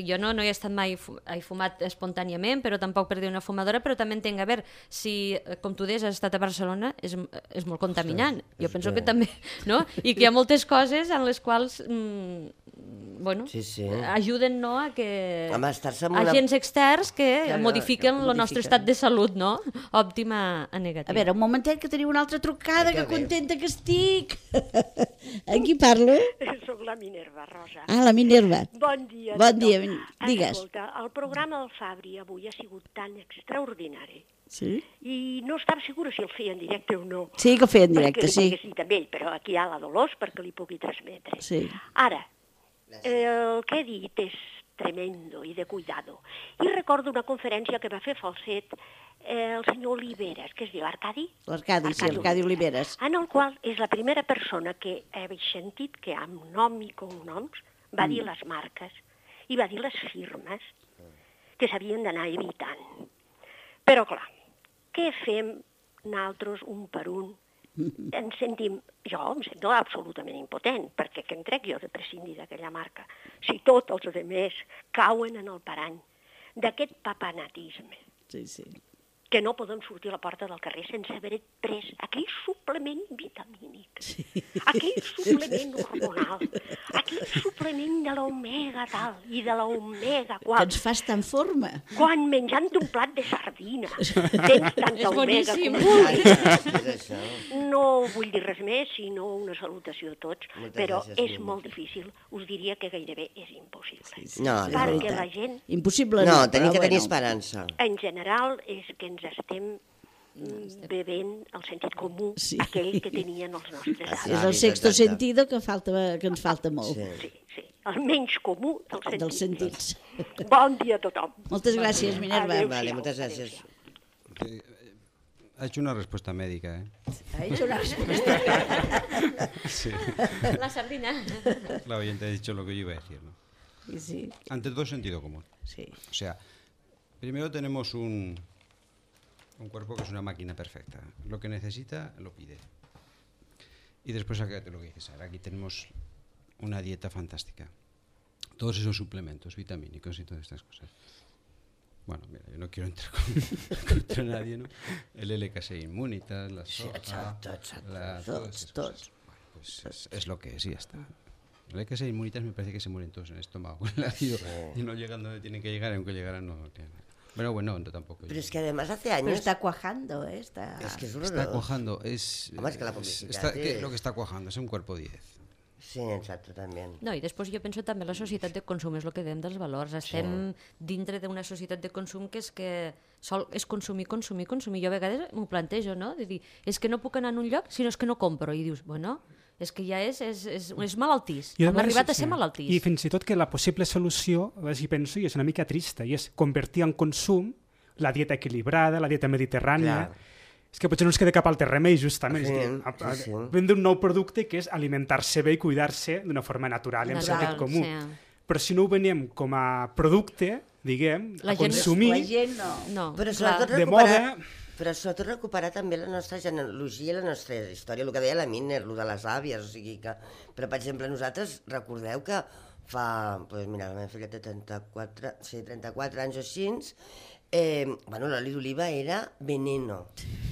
[SPEAKER 3] jo no he estat mai, he fumat espontàniament, però tampoc per dir una fumadora, però també entenc, a veure, si, com tu deies, has estat a Barcelona, és molt contaminant. Jo penso que també, no? I que hi ha moltes coses en les quals, ajuden, no?, a que agents externs que modifiquen el nostre estat de salut, no?, òptim a negatiu.
[SPEAKER 1] A veure, un momentet, que teniu una altra trucada, que contenta que estic. Amb qui parlo?
[SPEAKER 8] Soc la Minerva, Rosa.
[SPEAKER 1] Ah, la Minerva.
[SPEAKER 8] Bon dia.
[SPEAKER 1] Bon dia, digues.
[SPEAKER 8] Escolta, el programa del Fabri avui ha sigut tan extraordinari.
[SPEAKER 1] Sí?
[SPEAKER 8] I no estava segura si el feia en directe o no.
[SPEAKER 1] Sí, que el feia en directe, sí.
[SPEAKER 8] Perquè li pogués dir també ell, però aquí hi ha la Dolors perquè li pugui transmetre.
[SPEAKER 1] Sí.
[SPEAKER 8] Ara, el que he dit és tremendo i de cuidado. I recordo una conferència que va fer Falset el senyor Oliveres, que es diu Arcadi?
[SPEAKER 1] L'Arcadi, sí, Arcadi Oliveres.
[SPEAKER 8] En el qual és la primera persona que he sentit que amb nom i cognoms va dir les marques i va dir les firmes que s'havien d'anar evitant. Però clar, què fem nosaltres un per un? Jo em sento absolutament impotent, perquè què en trec jo de prescindir d'aquella marca? Si tots els altres cauen en el parany d'aquest papanatisme.
[SPEAKER 1] Sí, sí.
[SPEAKER 8] Que no poden sortir a la porta del carrer sense haver pres aquell suplement vitamínic, aquell suplement hormonal, aquell suplement de l'omega tal i de l'omega qual.
[SPEAKER 1] Que ens fas tan forma.
[SPEAKER 8] Quan menjant un plat de sardina tens tanta omega com no vull dir res més, sinó una salutació a tots, però és molt difícil. Us diria que gairebé és impossible.
[SPEAKER 5] No,
[SPEAKER 8] perquè la gent...
[SPEAKER 1] Impossible
[SPEAKER 5] no, tenim que tenir esperança.
[SPEAKER 8] En general és que ens estem bevent el sentit comú, aquell que tenien els nostres avis.
[SPEAKER 1] És el sexto sentido que ens falta molt.
[SPEAKER 8] Sí, el menys comú dels
[SPEAKER 1] sentits.
[SPEAKER 8] Bon dia a tothom.
[SPEAKER 1] Moltes gràcies, Minerva.
[SPEAKER 5] Vale, muchas gracias.
[SPEAKER 6] Ha hecho una respuesta médica,
[SPEAKER 1] Ha hecho una respuesta.
[SPEAKER 6] Sí.
[SPEAKER 3] La sardina.
[SPEAKER 6] La oyente ha dicho lo que yo iba a decir, ¿no?
[SPEAKER 1] Sí.
[SPEAKER 6] Ante todo, sentido común.
[SPEAKER 1] Sí.
[SPEAKER 6] O sea, primero tenemos un cuerpo que es una máquina perfecta. Lo que necesita, lo pide. Y después, lo que dices, ahora aquí tenemos una dieta fantástica. Todos esos suplementos vitamínicos y todas estas cosas. Bueno, mira, yo no quiero entrar contra nadie, ¿no? El LK6 Immunitas, la soja, todos. Bueno, pues es lo que es y ya está. El LK6 Immunitas me parece que se mueren todos en el estómago con el ácido y no llegan donde tienen que llegar, aunque llegaran no tienen. Bueno, no tampoco.
[SPEAKER 5] Pero es que además hace años...
[SPEAKER 1] Pero está cuajando, ¿eh?
[SPEAKER 6] Está cuajando. Es que la publicidad... Lo que está cuajando es un cuerpo 10.
[SPEAKER 5] Sí, exactament.
[SPEAKER 3] No, i després jo penso també la societat de consum, és el que dèiem dels valors. Estem dintre d'una societat de consum que és consumir. Jo a vegades m'ho plantejo, no? De dir, és que no puc anar en un lloc si no és que no compro. I dius, bueno, és que ja és malaltís. Hem arribat a ser malaltís.
[SPEAKER 2] I fins i tot que la possible solució, si penso, i és una mica trista, i és convertir en consum la dieta equilibrada, la dieta mediterrània. Clar. És que potser no ens queda cap altre remei, justament. Sí. Vendre un nou producte que és alimentar-se bé i cuidar-se d'una forma natural i amb sentit comú. Sí. Però si no ho venem com a producte, diguem, a consumir,
[SPEAKER 1] la gent no.
[SPEAKER 5] Però sobretot recuperar també la nostra genealogia i la nostra història, el que deia la Miner, el de les àvies, o sigui que... Però, per exemple, nosaltres, recordeu que fa... Doncs mira, la meva filla té 34 anys o així, l'oli d'oliva era veneno.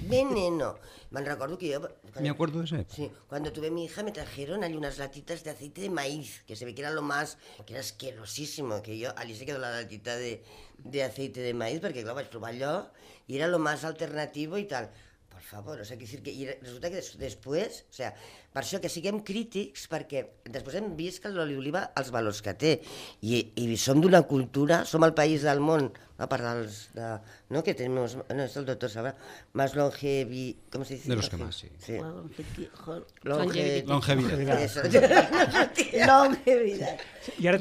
[SPEAKER 5] Me recuerdo que yo...
[SPEAKER 6] Me acuerdo de ese.
[SPEAKER 5] Sí, cuando tuve mi hija me trajeron ahí unas latitas de aceite de maíz, que se ve que era lo más... que era asquerosísimo, que yo... allí se quedó la latita de aceite de maíz, perquè clar, vaig provar allò, i era lo más alternativo i tal. Por favor, o sea, que resulta que després, o sea, per això que siguem crítics, perquè després hem vist que l'oli d'oliva els valors que té, i som d'una cultura, som el país del món, a part dels... no, que tenim... No, és el doctor Sabra, más longevi... Com se dice?
[SPEAKER 6] De los que más, sí.
[SPEAKER 5] Longevidad.
[SPEAKER 1] Longevidad.
[SPEAKER 2] I ara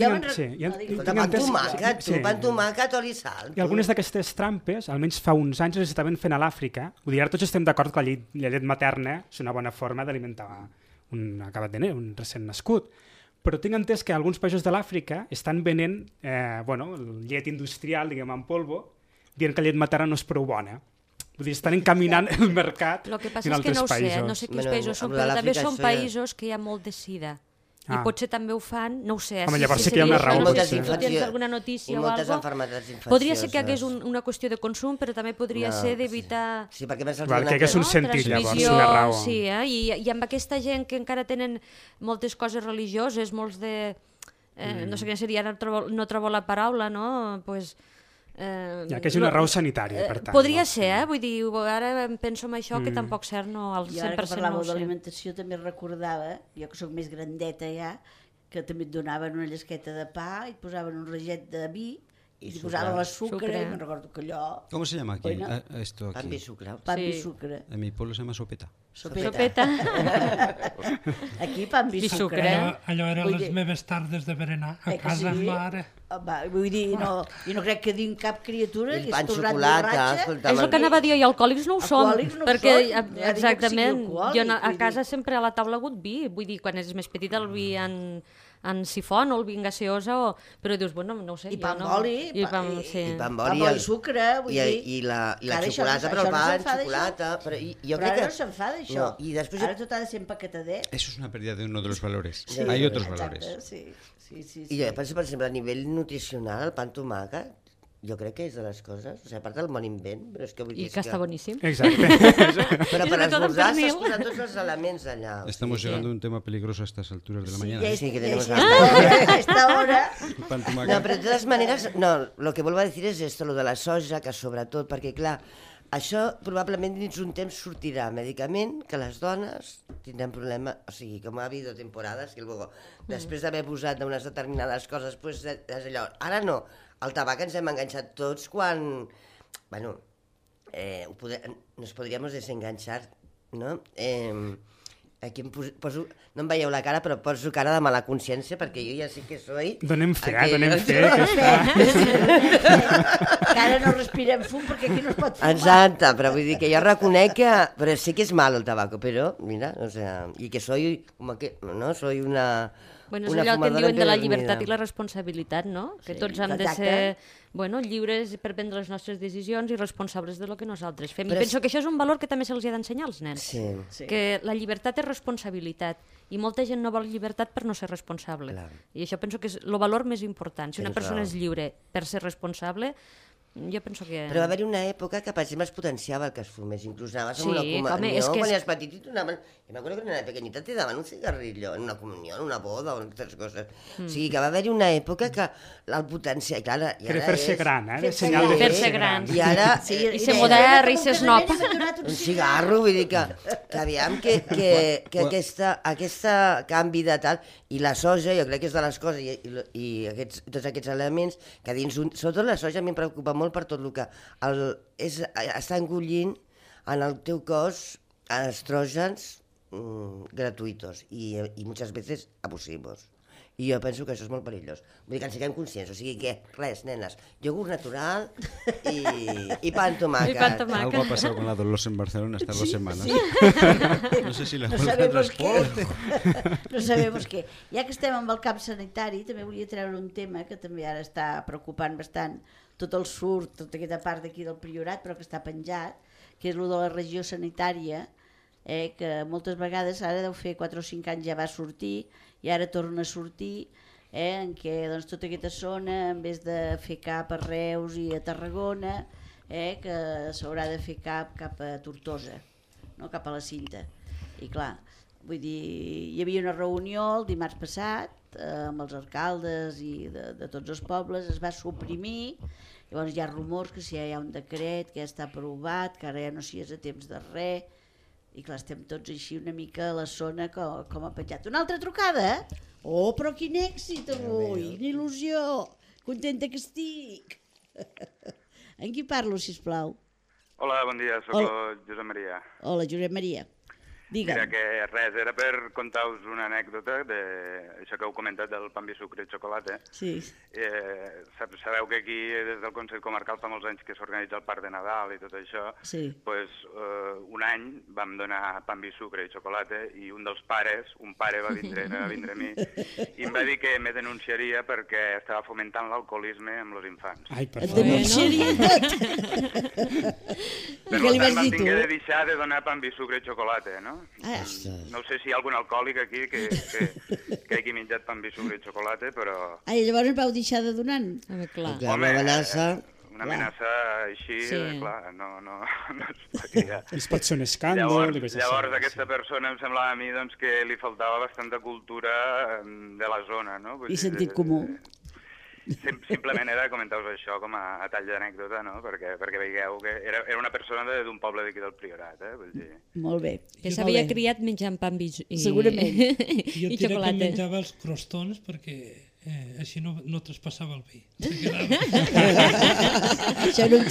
[SPEAKER 5] pan tomàquet, oli i sal.
[SPEAKER 2] I algunes d'aquestes trampes, almenys fa uns anys, les estaven fent a l'Àfrica. Vull dir, ara tots estem d'acord que la llet materna és una bona forma d'alimentar un recent nascut. Però tinc entès que alguns països de l'Àfrica estan venent llet industrial, diguem, en polvo, dient que la llet materna no és prou bona. Vull dir, estan encaminant el mercat en altres països. El que passa és que
[SPEAKER 3] no sé quins països són, però també són països que hi ha molt de sida. I potser també ho fan, no ho sé.
[SPEAKER 2] Home, llavors sí que hi ha una raó.
[SPEAKER 3] Si tu tens alguna notícia o alguna cosa, podria ser que hagués una qüestió de consum, però també podria ser d'evitar...
[SPEAKER 5] Sí, perquè més
[SPEAKER 2] que hagués un sentit, llavors, una raó.
[SPEAKER 3] Sí, i amb aquesta gent que encara tenen moltes coses religioses, molts de... no sé quina seria, ara no trobo la paraula, no? Pues...
[SPEAKER 2] que és una raó sanitària, per tant.
[SPEAKER 3] Podria ser, vull dir, ara penso en això, que tampoc cert no al 100% no ho sé.
[SPEAKER 1] Jo ara que parlàveu d'alimentació també recordava, jo que sóc més grandeta ja, que també et donaven una llesqueta de pa i et posaven un raget de vi i et posaven la sucre, i me'n recordo que allò...
[SPEAKER 6] ¿Cómo se llama aquí? Esto aquí.
[SPEAKER 5] Pan y sucre.
[SPEAKER 1] Pan y sucre.
[SPEAKER 6] En mi pueblo se llama sopeta.
[SPEAKER 3] Sopeta.
[SPEAKER 1] Aquí pan i sucre.
[SPEAKER 4] Allò eren les meves tardes de berenar a casa amb mare.
[SPEAKER 1] Vull dir, i no crec que diguin cap criatura que és tornat
[SPEAKER 5] borratxa.
[SPEAKER 3] És el que anava a dir, i alcohòlics no ho som. Perquè, exactament, jo a casa sempre a la taula ha hagut vi. Vull dir, quan és més petit el vi en sifon o el vi en gaseosa, però dius, bueno, no ho sé.
[SPEAKER 1] I pa amb oli,
[SPEAKER 5] i
[SPEAKER 1] sucre, vull dir.
[SPEAKER 5] I la xocolata, però el pa en xocolata.
[SPEAKER 1] Però ara no se'n fa d'això. Ara tot ha de ser empaquetadet.
[SPEAKER 6] Eso es una pérdida de uno de los valores. Hay otros valores.
[SPEAKER 1] Sí.
[SPEAKER 5] I jo penso, per exemple, a nivell nutricional, el pa amb tomàquet, jo crec que és de les coses, o sigui, a part del bon invent, però és que vull dir...
[SPEAKER 3] I que està boníssim.
[SPEAKER 2] Exacte.
[SPEAKER 5] Però per esmorzar s'has posat tots els elements allà.
[SPEAKER 6] Estamos llegando a un tema peligroso a estas alturas de la mañana.
[SPEAKER 5] Sí, que tenemos
[SPEAKER 1] esta hora.
[SPEAKER 5] No, però de totes maneres, no, lo que vuelvo a decir es esto, lo de la soja, que sobretot, perquè clar, això probablement dins un temps sortirà medicament que les dones tindran problema, o sigui, com ha habido temporades que luego, després d'haver posat unes determinades coses, pues, és allò. Ara no, el tabac ens hem enganxat tots quan... Bueno, nos podríamos desenganchar, ¿no? Aquí em poso... No em veieu la cara, però poso cara de mala consciència, perquè jo ja sí que soy...
[SPEAKER 2] Donem fe, que està...
[SPEAKER 1] Que ara no respirem fum, perquè aquí no es pot fumar.
[SPEAKER 5] Exacte, però vull dir que jo reconec que... Però sí que és mal el tabaco, però, mira, o sea, i que soy... no, soy una...
[SPEAKER 3] Bueno, és allò que en diuen de la llibertat i la responsabilitat, no? Que tots hem de ser lliures per prendre les nostres decisions i responsables de lo que nosaltres fem. I penso que això és un valor que també se'ls ha d'ensenyar als nens. Que la llibertat és responsabilitat. I molta gent no vol llibertat per no ser responsable. I això penso que és el valor més important. Si una persona és lliure per ser responsable, jo penso que...
[SPEAKER 5] Però va haver-hi una època que, per exemple, es potenciava el que es fumés. Inclús anaves a una comunió, quan eres petit i donaven... Jo m'acordo que en una pequeñita te daven un cigarrillo en una comunió, en una boda o en aquestes coses. O sigui que va haver-hi una època que el potenciava...
[SPEAKER 2] Querer fer-se gran, eh?
[SPEAKER 3] Senyal de fer-se gran.
[SPEAKER 5] I ara...
[SPEAKER 3] I ser modern i ser snob.
[SPEAKER 5] Un cigarro, vull dir que aviam que aquest canvi de tal... I la soja, jo crec que és de les coses, i tots aquests elements, que dins... Sobretot la soja a mi em preocupa molt per tot el que està engollint en el teu cos estrògens gratuïtos i muchas veces abusivos. I jo penso que això és molt perillós. Vull dir que en siguem conscients. O sigui que, res, nenes, iogurt natural i pa amb tomàquet.
[SPEAKER 6] Algo ha pasado con la Dolores en Barcelona estas 2 semanas.
[SPEAKER 1] Sí.
[SPEAKER 6] No sé si la
[SPEAKER 1] no sabemos qué. No sabemos què. Ja que estem amb el camp sanitari, també volia treure un tema que també ara està preocupant bastant tot el surt, tota aquesta part d'aquí del Priorat, però que està penjat, que és el de la regió sanitària, que moltes vegades, ara deu fer 4 o 5 anys ja va sortir, i ara torna a sortir, en què doncs, tota aquesta zona, en vez de fer cap a Reus i a Tarragona, que s'haurà de fer cap a Tortosa, no? Cap a la Cinta. I clar, vull dir, hi havia una reunió el dimarts passat amb els alcaldes i de tots els pobles, es va suprimir. Llavors hi ha rumors que si hi ha un decret que ja està aprovat, que ara ja no s'hi és a temps de res, i clar, estem tots així una mica a la zona com ha penjat. Una altra trucada? Oh, però quin èxit avui, quina il·lusió, contenta que estic. En qui parlo, sisplau?
[SPEAKER 9] Hola, bon dia, soc el Josep Maria.
[SPEAKER 1] Hola, Josep Maria. Digue'm.
[SPEAKER 9] Mira, que res, era per contar-vos una anècdota d'això que heu comentat del pa amb vi, sucre i xocolata.
[SPEAKER 1] Sí.
[SPEAKER 9] Sabeu que aquí, des del Consell Comarcal, fa molts anys que s'organitza el Parc de Nadal i tot això.
[SPEAKER 1] Sí.
[SPEAKER 9] Pues, un any vam donar pa amb vi, sucre i xocolata i un dels pares, un pare va vindre a mi i em va dir que me denunciaria perquè estava fomentant l'alcoholisme amb els infants.
[SPEAKER 2] Ai, per
[SPEAKER 1] Et denunciaria tot. I què li vas dir tu?
[SPEAKER 9] Vam haver de deixar de donar pa amb vi, sucre i xocolata, no?
[SPEAKER 1] Ah.
[SPEAKER 9] No sé si hi ha algun alcohòlic aquí que hagi menjat pa amb vi, sucre i xocolata, però...
[SPEAKER 1] Ai, llavors em vau deixar de donar?
[SPEAKER 3] Clar.
[SPEAKER 5] Home,
[SPEAKER 9] una amenaça així,
[SPEAKER 3] Sí.
[SPEAKER 9] Clar, no es podria...
[SPEAKER 2] Es pot ser un escàndol...
[SPEAKER 9] Llavors aquesta persona em semblava a mi doncs, que li faltava bastanta cultura de la zona, no?
[SPEAKER 1] I sentit comú.
[SPEAKER 9] Simplement era comentar-vos això com a tall d'anècdota, no? Perquè veieu que era una persona d'un poble d'aquí del Priorat, Vull dir...
[SPEAKER 1] Molt bé.
[SPEAKER 3] Que s'havia criat menjant pa amb vi i
[SPEAKER 1] segurament.
[SPEAKER 4] Jo
[SPEAKER 3] i
[SPEAKER 4] que
[SPEAKER 3] xocolata.
[SPEAKER 4] menjava els crostons perquè així no traspassava el vi.
[SPEAKER 1] Això era un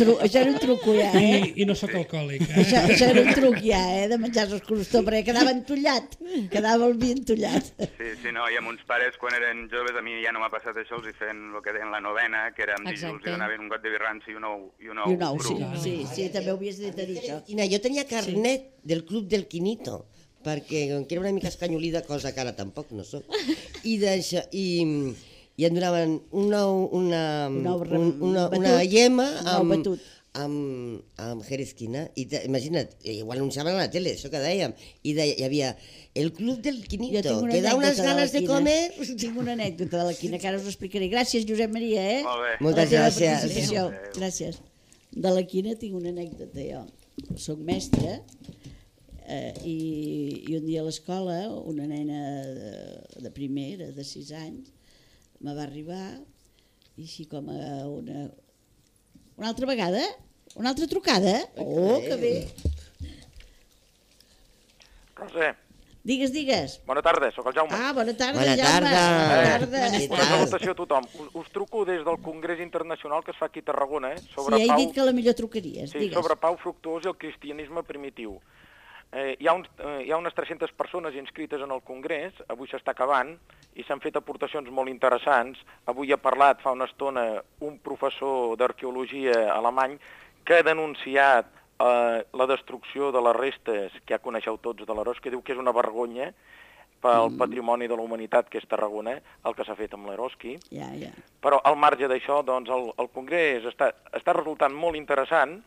[SPEAKER 1] truc ja,
[SPEAKER 4] I no sóc alcohòlic.
[SPEAKER 1] Això era un truc ja, de menjar els crostons, perquè quedava entullat, quedava el vi entullat.
[SPEAKER 9] Sí, no, i amb uns pares, quan eren joves, a mi ja no m'ha passat això, els hi feien el que deien la novena, que era amb dijous, i donaven un got de birranci i un ou cru.
[SPEAKER 1] Sí, també ho havies de dir, això.
[SPEAKER 5] Jo tenia carnet del Club del Quinito, perquè era una mica escanyolida, cosa que ara tampoc no soc, i em donaven una llema amb jerezquina, i imagina't, ho anunciaven a la tele, això que dèiem, i hi havia el Club del Quinito, que da unes ganes de comer...
[SPEAKER 1] Tinc una anècdota de la quina, que ara us explicaré. Gràcies, Josep Maria,
[SPEAKER 9] Molt bé.
[SPEAKER 5] Moltes gràcies.
[SPEAKER 1] Gràcies. De la quina tinc una anècdota, jo. Soc mestra, i un dia a l'escola una nena de primera, de 6 anys, me va arribar i així com una altra vegada, una altra trucada. Oh, que bé.
[SPEAKER 10] Roser.
[SPEAKER 1] Digues.
[SPEAKER 10] Bona tarda, sóc el Jaume.
[SPEAKER 1] Ah, bona tarda,
[SPEAKER 5] Bona
[SPEAKER 1] Jaume.
[SPEAKER 5] tarda.
[SPEAKER 10] Una salutació a tothom. Us truco des del Congrés Internacional que es fa aquí a Tarragona, sobre
[SPEAKER 1] Sí, he dit que la millor trucaries.
[SPEAKER 10] Sí,
[SPEAKER 1] Digues.
[SPEAKER 10] sobre Pau Fructuós i el cristianisme primitiu. Hi ha unes 300 persones inscrites en el Congrés, avui s'està acabant, i s'han fet aportacions molt interessants. Avui ha parlat fa una estona un professor d'arqueologia alemany que ha denunciat la destrucció de les restes, que ja coneixeu tots, de l'Eroski, que diu que és una vergonya pel patrimoni de la humanitat que és Tarragona, el que s'ha fet amb l'Eroski.
[SPEAKER 1] Ja.
[SPEAKER 10] Però al marge d'això, doncs, el Congrés està resultant molt interessant,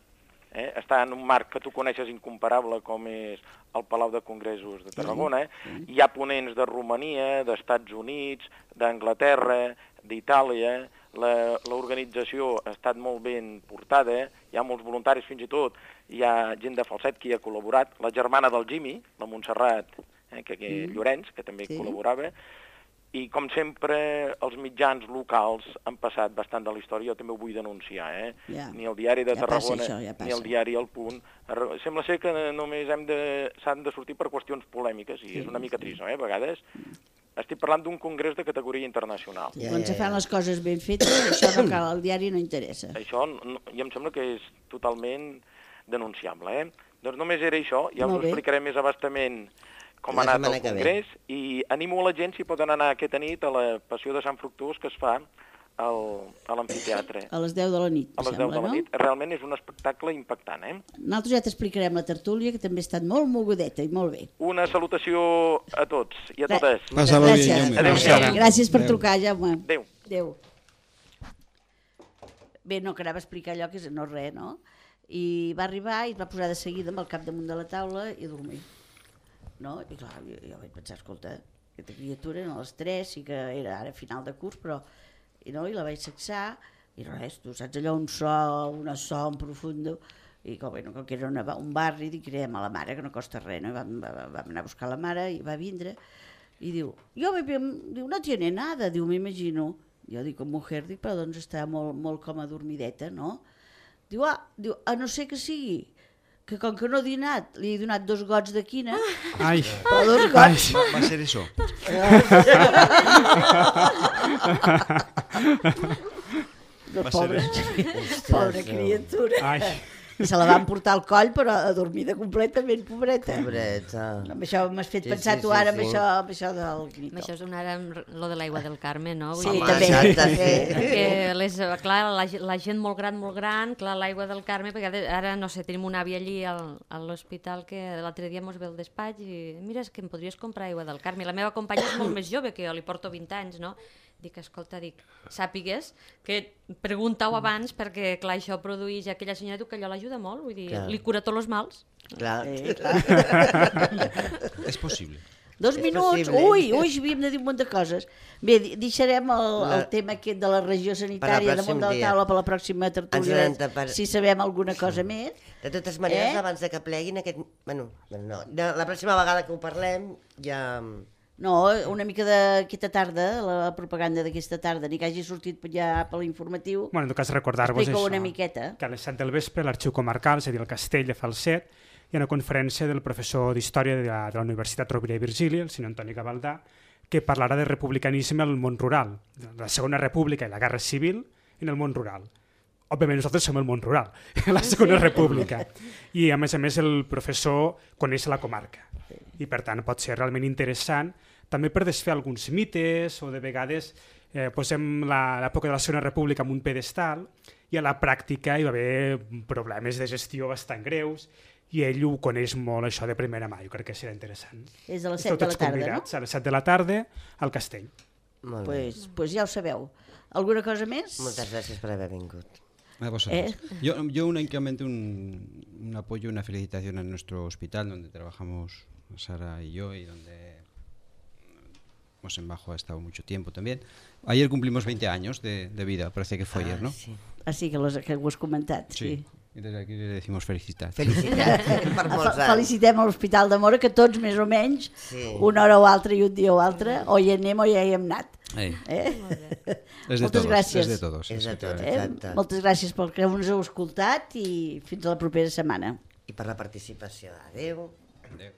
[SPEAKER 10] està en un marc que tu coneixes incomparable com és el Palau de Congressos de Tarragona. Hi ha ponents de Romania, d'Estats Units, d'Anglaterra, d'Itàlia, L'organització ha estat molt ben portada, hi ha molts voluntaris fins i tot, hi ha gent de Falset que hi ha col·laborat, la germana del Jimmy, la Montserrat Llorenç, que també col·laborava, i com sempre els mitjans locals han passat bastant de la història, jo també ho vull denunciar, ni el diari de Tarragona ni el diari El Punt, sembla ser que només s'han de sortir per qüestions polèmiques, i és una mica trist, a vegades. Estic parlant d'un congrés de categoria internacional.
[SPEAKER 1] Quan se fan les coses ben fetes, això no cal, el diari no interessa.
[SPEAKER 10] Això ja em sembla que és totalment denunciable. Doncs només era això, ja us ho explicaré més abastament com ha anat el congrés, i animo la gent si poden anar aquesta nit a la Passió de Sant Fructuós que es fa a l'amfiteatre.
[SPEAKER 1] A les 10 de la nit,
[SPEAKER 10] a les 10 de la nit. Realment és un espectacle impactant,
[SPEAKER 1] Nosaltres ja t'explicarem la tertúlia, que també ha estat molt mogudeta i molt bé.
[SPEAKER 10] Una salutació a tots i a totes.
[SPEAKER 1] Gràcies. Gràcies per trucar, Jaume.
[SPEAKER 10] Adéu.
[SPEAKER 1] Bé, no, que anava a explicar allò que és no res, no? I va arribar i es va posar de seguida amb el cap damunt de la taula i dormir. No? I clar, jo vaig pensar, escolta, aquesta criatura, a les 3, sí que era ara final de curs, però i la vaig sexar, i res, tu saps allò, un son profundo, i com que era un barri, dic, cridem a la mare, que no costa res, no? I vam anar a buscar la mare, i va vindre, i diu, no tiene nada, diu, m'imagino. Jo dic, mujer, dic, però doncs està molt com adormideta, no? Diu, a no ser que sigui, que com que no ha dinat, li he donat 2 gots de quina.
[SPEAKER 6] Ai,
[SPEAKER 1] però 2 gots.
[SPEAKER 6] Va ser això.
[SPEAKER 1] Pobra criatura. Ai. I se la van portar al coll, però adormida completament, pobreta.
[SPEAKER 5] Pobreta.
[SPEAKER 1] Amb això m'has fet pensar tu ara, amb això del grito.
[SPEAKER 3] Amb això és ara lo de l'aigua del Carme, no?
[SPEAKER 1] Sí, també.
[SPEAKER 3] Clar, la gent molt gran, clar, l'aigua del Carme, perquè ara, no sé, tenim un avi allí a l'hospital que l'altre dia mos ve al despatx i mira, és que em podries comprar aigua del Carme. La meva companya és molt més jove que jo, li porto 20 anys, no? Dic, escolta, sàpigues que pregunta-ho abans perquè, clar, això produeix aquella senyora, diu que allò l'ajuda molt, vull dir, li cura tots els mals.
[SPEAKER 5] Clar.
[SPEAKER 6] És possible.
[SPEAKER 1] 2 minuts, ui, havíem de dir un munt de coses. Bé, deixarem el tema aquest de la regió sanitària damunt de la taula per la pròxima tertúlia, si sabem alguna cosa més.
[SPEAKER 5] De totes maneres, abans que pleguin aquest... Bueno, no, la pròxima vegada que ho parlem ja...
[SPEAKER 1] No, una mica d'aquesta tarda, la propaganda d'aquesta tarda, ni que hagi sortit ja per l'informatiu.
[SPEAKER 2] Bueno, en tot cas, recordar-vos
[SPEAKER 1] això, una miqueta.
[SPEAKER 2] Que a les 7 del vespre l'Arxiu Comarcal, és a dir, el Castell de Falset, hi ha una conferència del professor d'Història de la Universitat Rovira i Virgili, el senyor Antoni Gavaldà, que parlarà de republicanisme al món rural, de la Segona República i la Guerra Civil en el món rural. Òbviament nosaltres som el món rural, la Segona República. I a més, el professor coneix la comarca. I per tant pot ser realment interessant també per desfer alguns mites o de vegades posem l'època de la Segona República en un pedestal i a la pràctica hi va haver problemes de gestió bastant greus i ell ho coneix molt, això de primera mà. Jo crec que serà interessant.
[SPEAKER 1] És a les 7 de la tarda, no?
[SPEAKER 2] A les 7 de la tarda al Castell.
[SPEAKER 1] Pues ja ho sabeu. Alguna cosa més?
[SPEAKER 5] Moltes gràcies per haver vingut.
[SPEAKER 6] A vosotros. Yo únicamente un apoyo, una felicitación a nuestro hospital donde trabajamos Sara y yo y donde Bajo ha estado mucho tiempo también. Ayer cumplimos 20 años de vida, parece que fue ayer, ¿no?
[SPEAKER 1] Sí. Sí, que ho has comentat.
[SPEAKER 6] Sí. I des d'aquí le decimos felicitats.
[SPEAKER 5] Per molts anys.
[SPEAKER 1] Felicitem a l'Hospital de Móra, que tots més o menys, una hora o altra i un dia o altre, o hi anem o ja hi hem anat.
[SPEAKER 6] Moltes gràcies. És de tots.
[SPEAKER 1] Moltes gràcies pel que ens heu escoltat i fins a la propera setmana.
[SPEAKER 5] I per la participació. Adéu.
[SPEAKER 6] Adéu.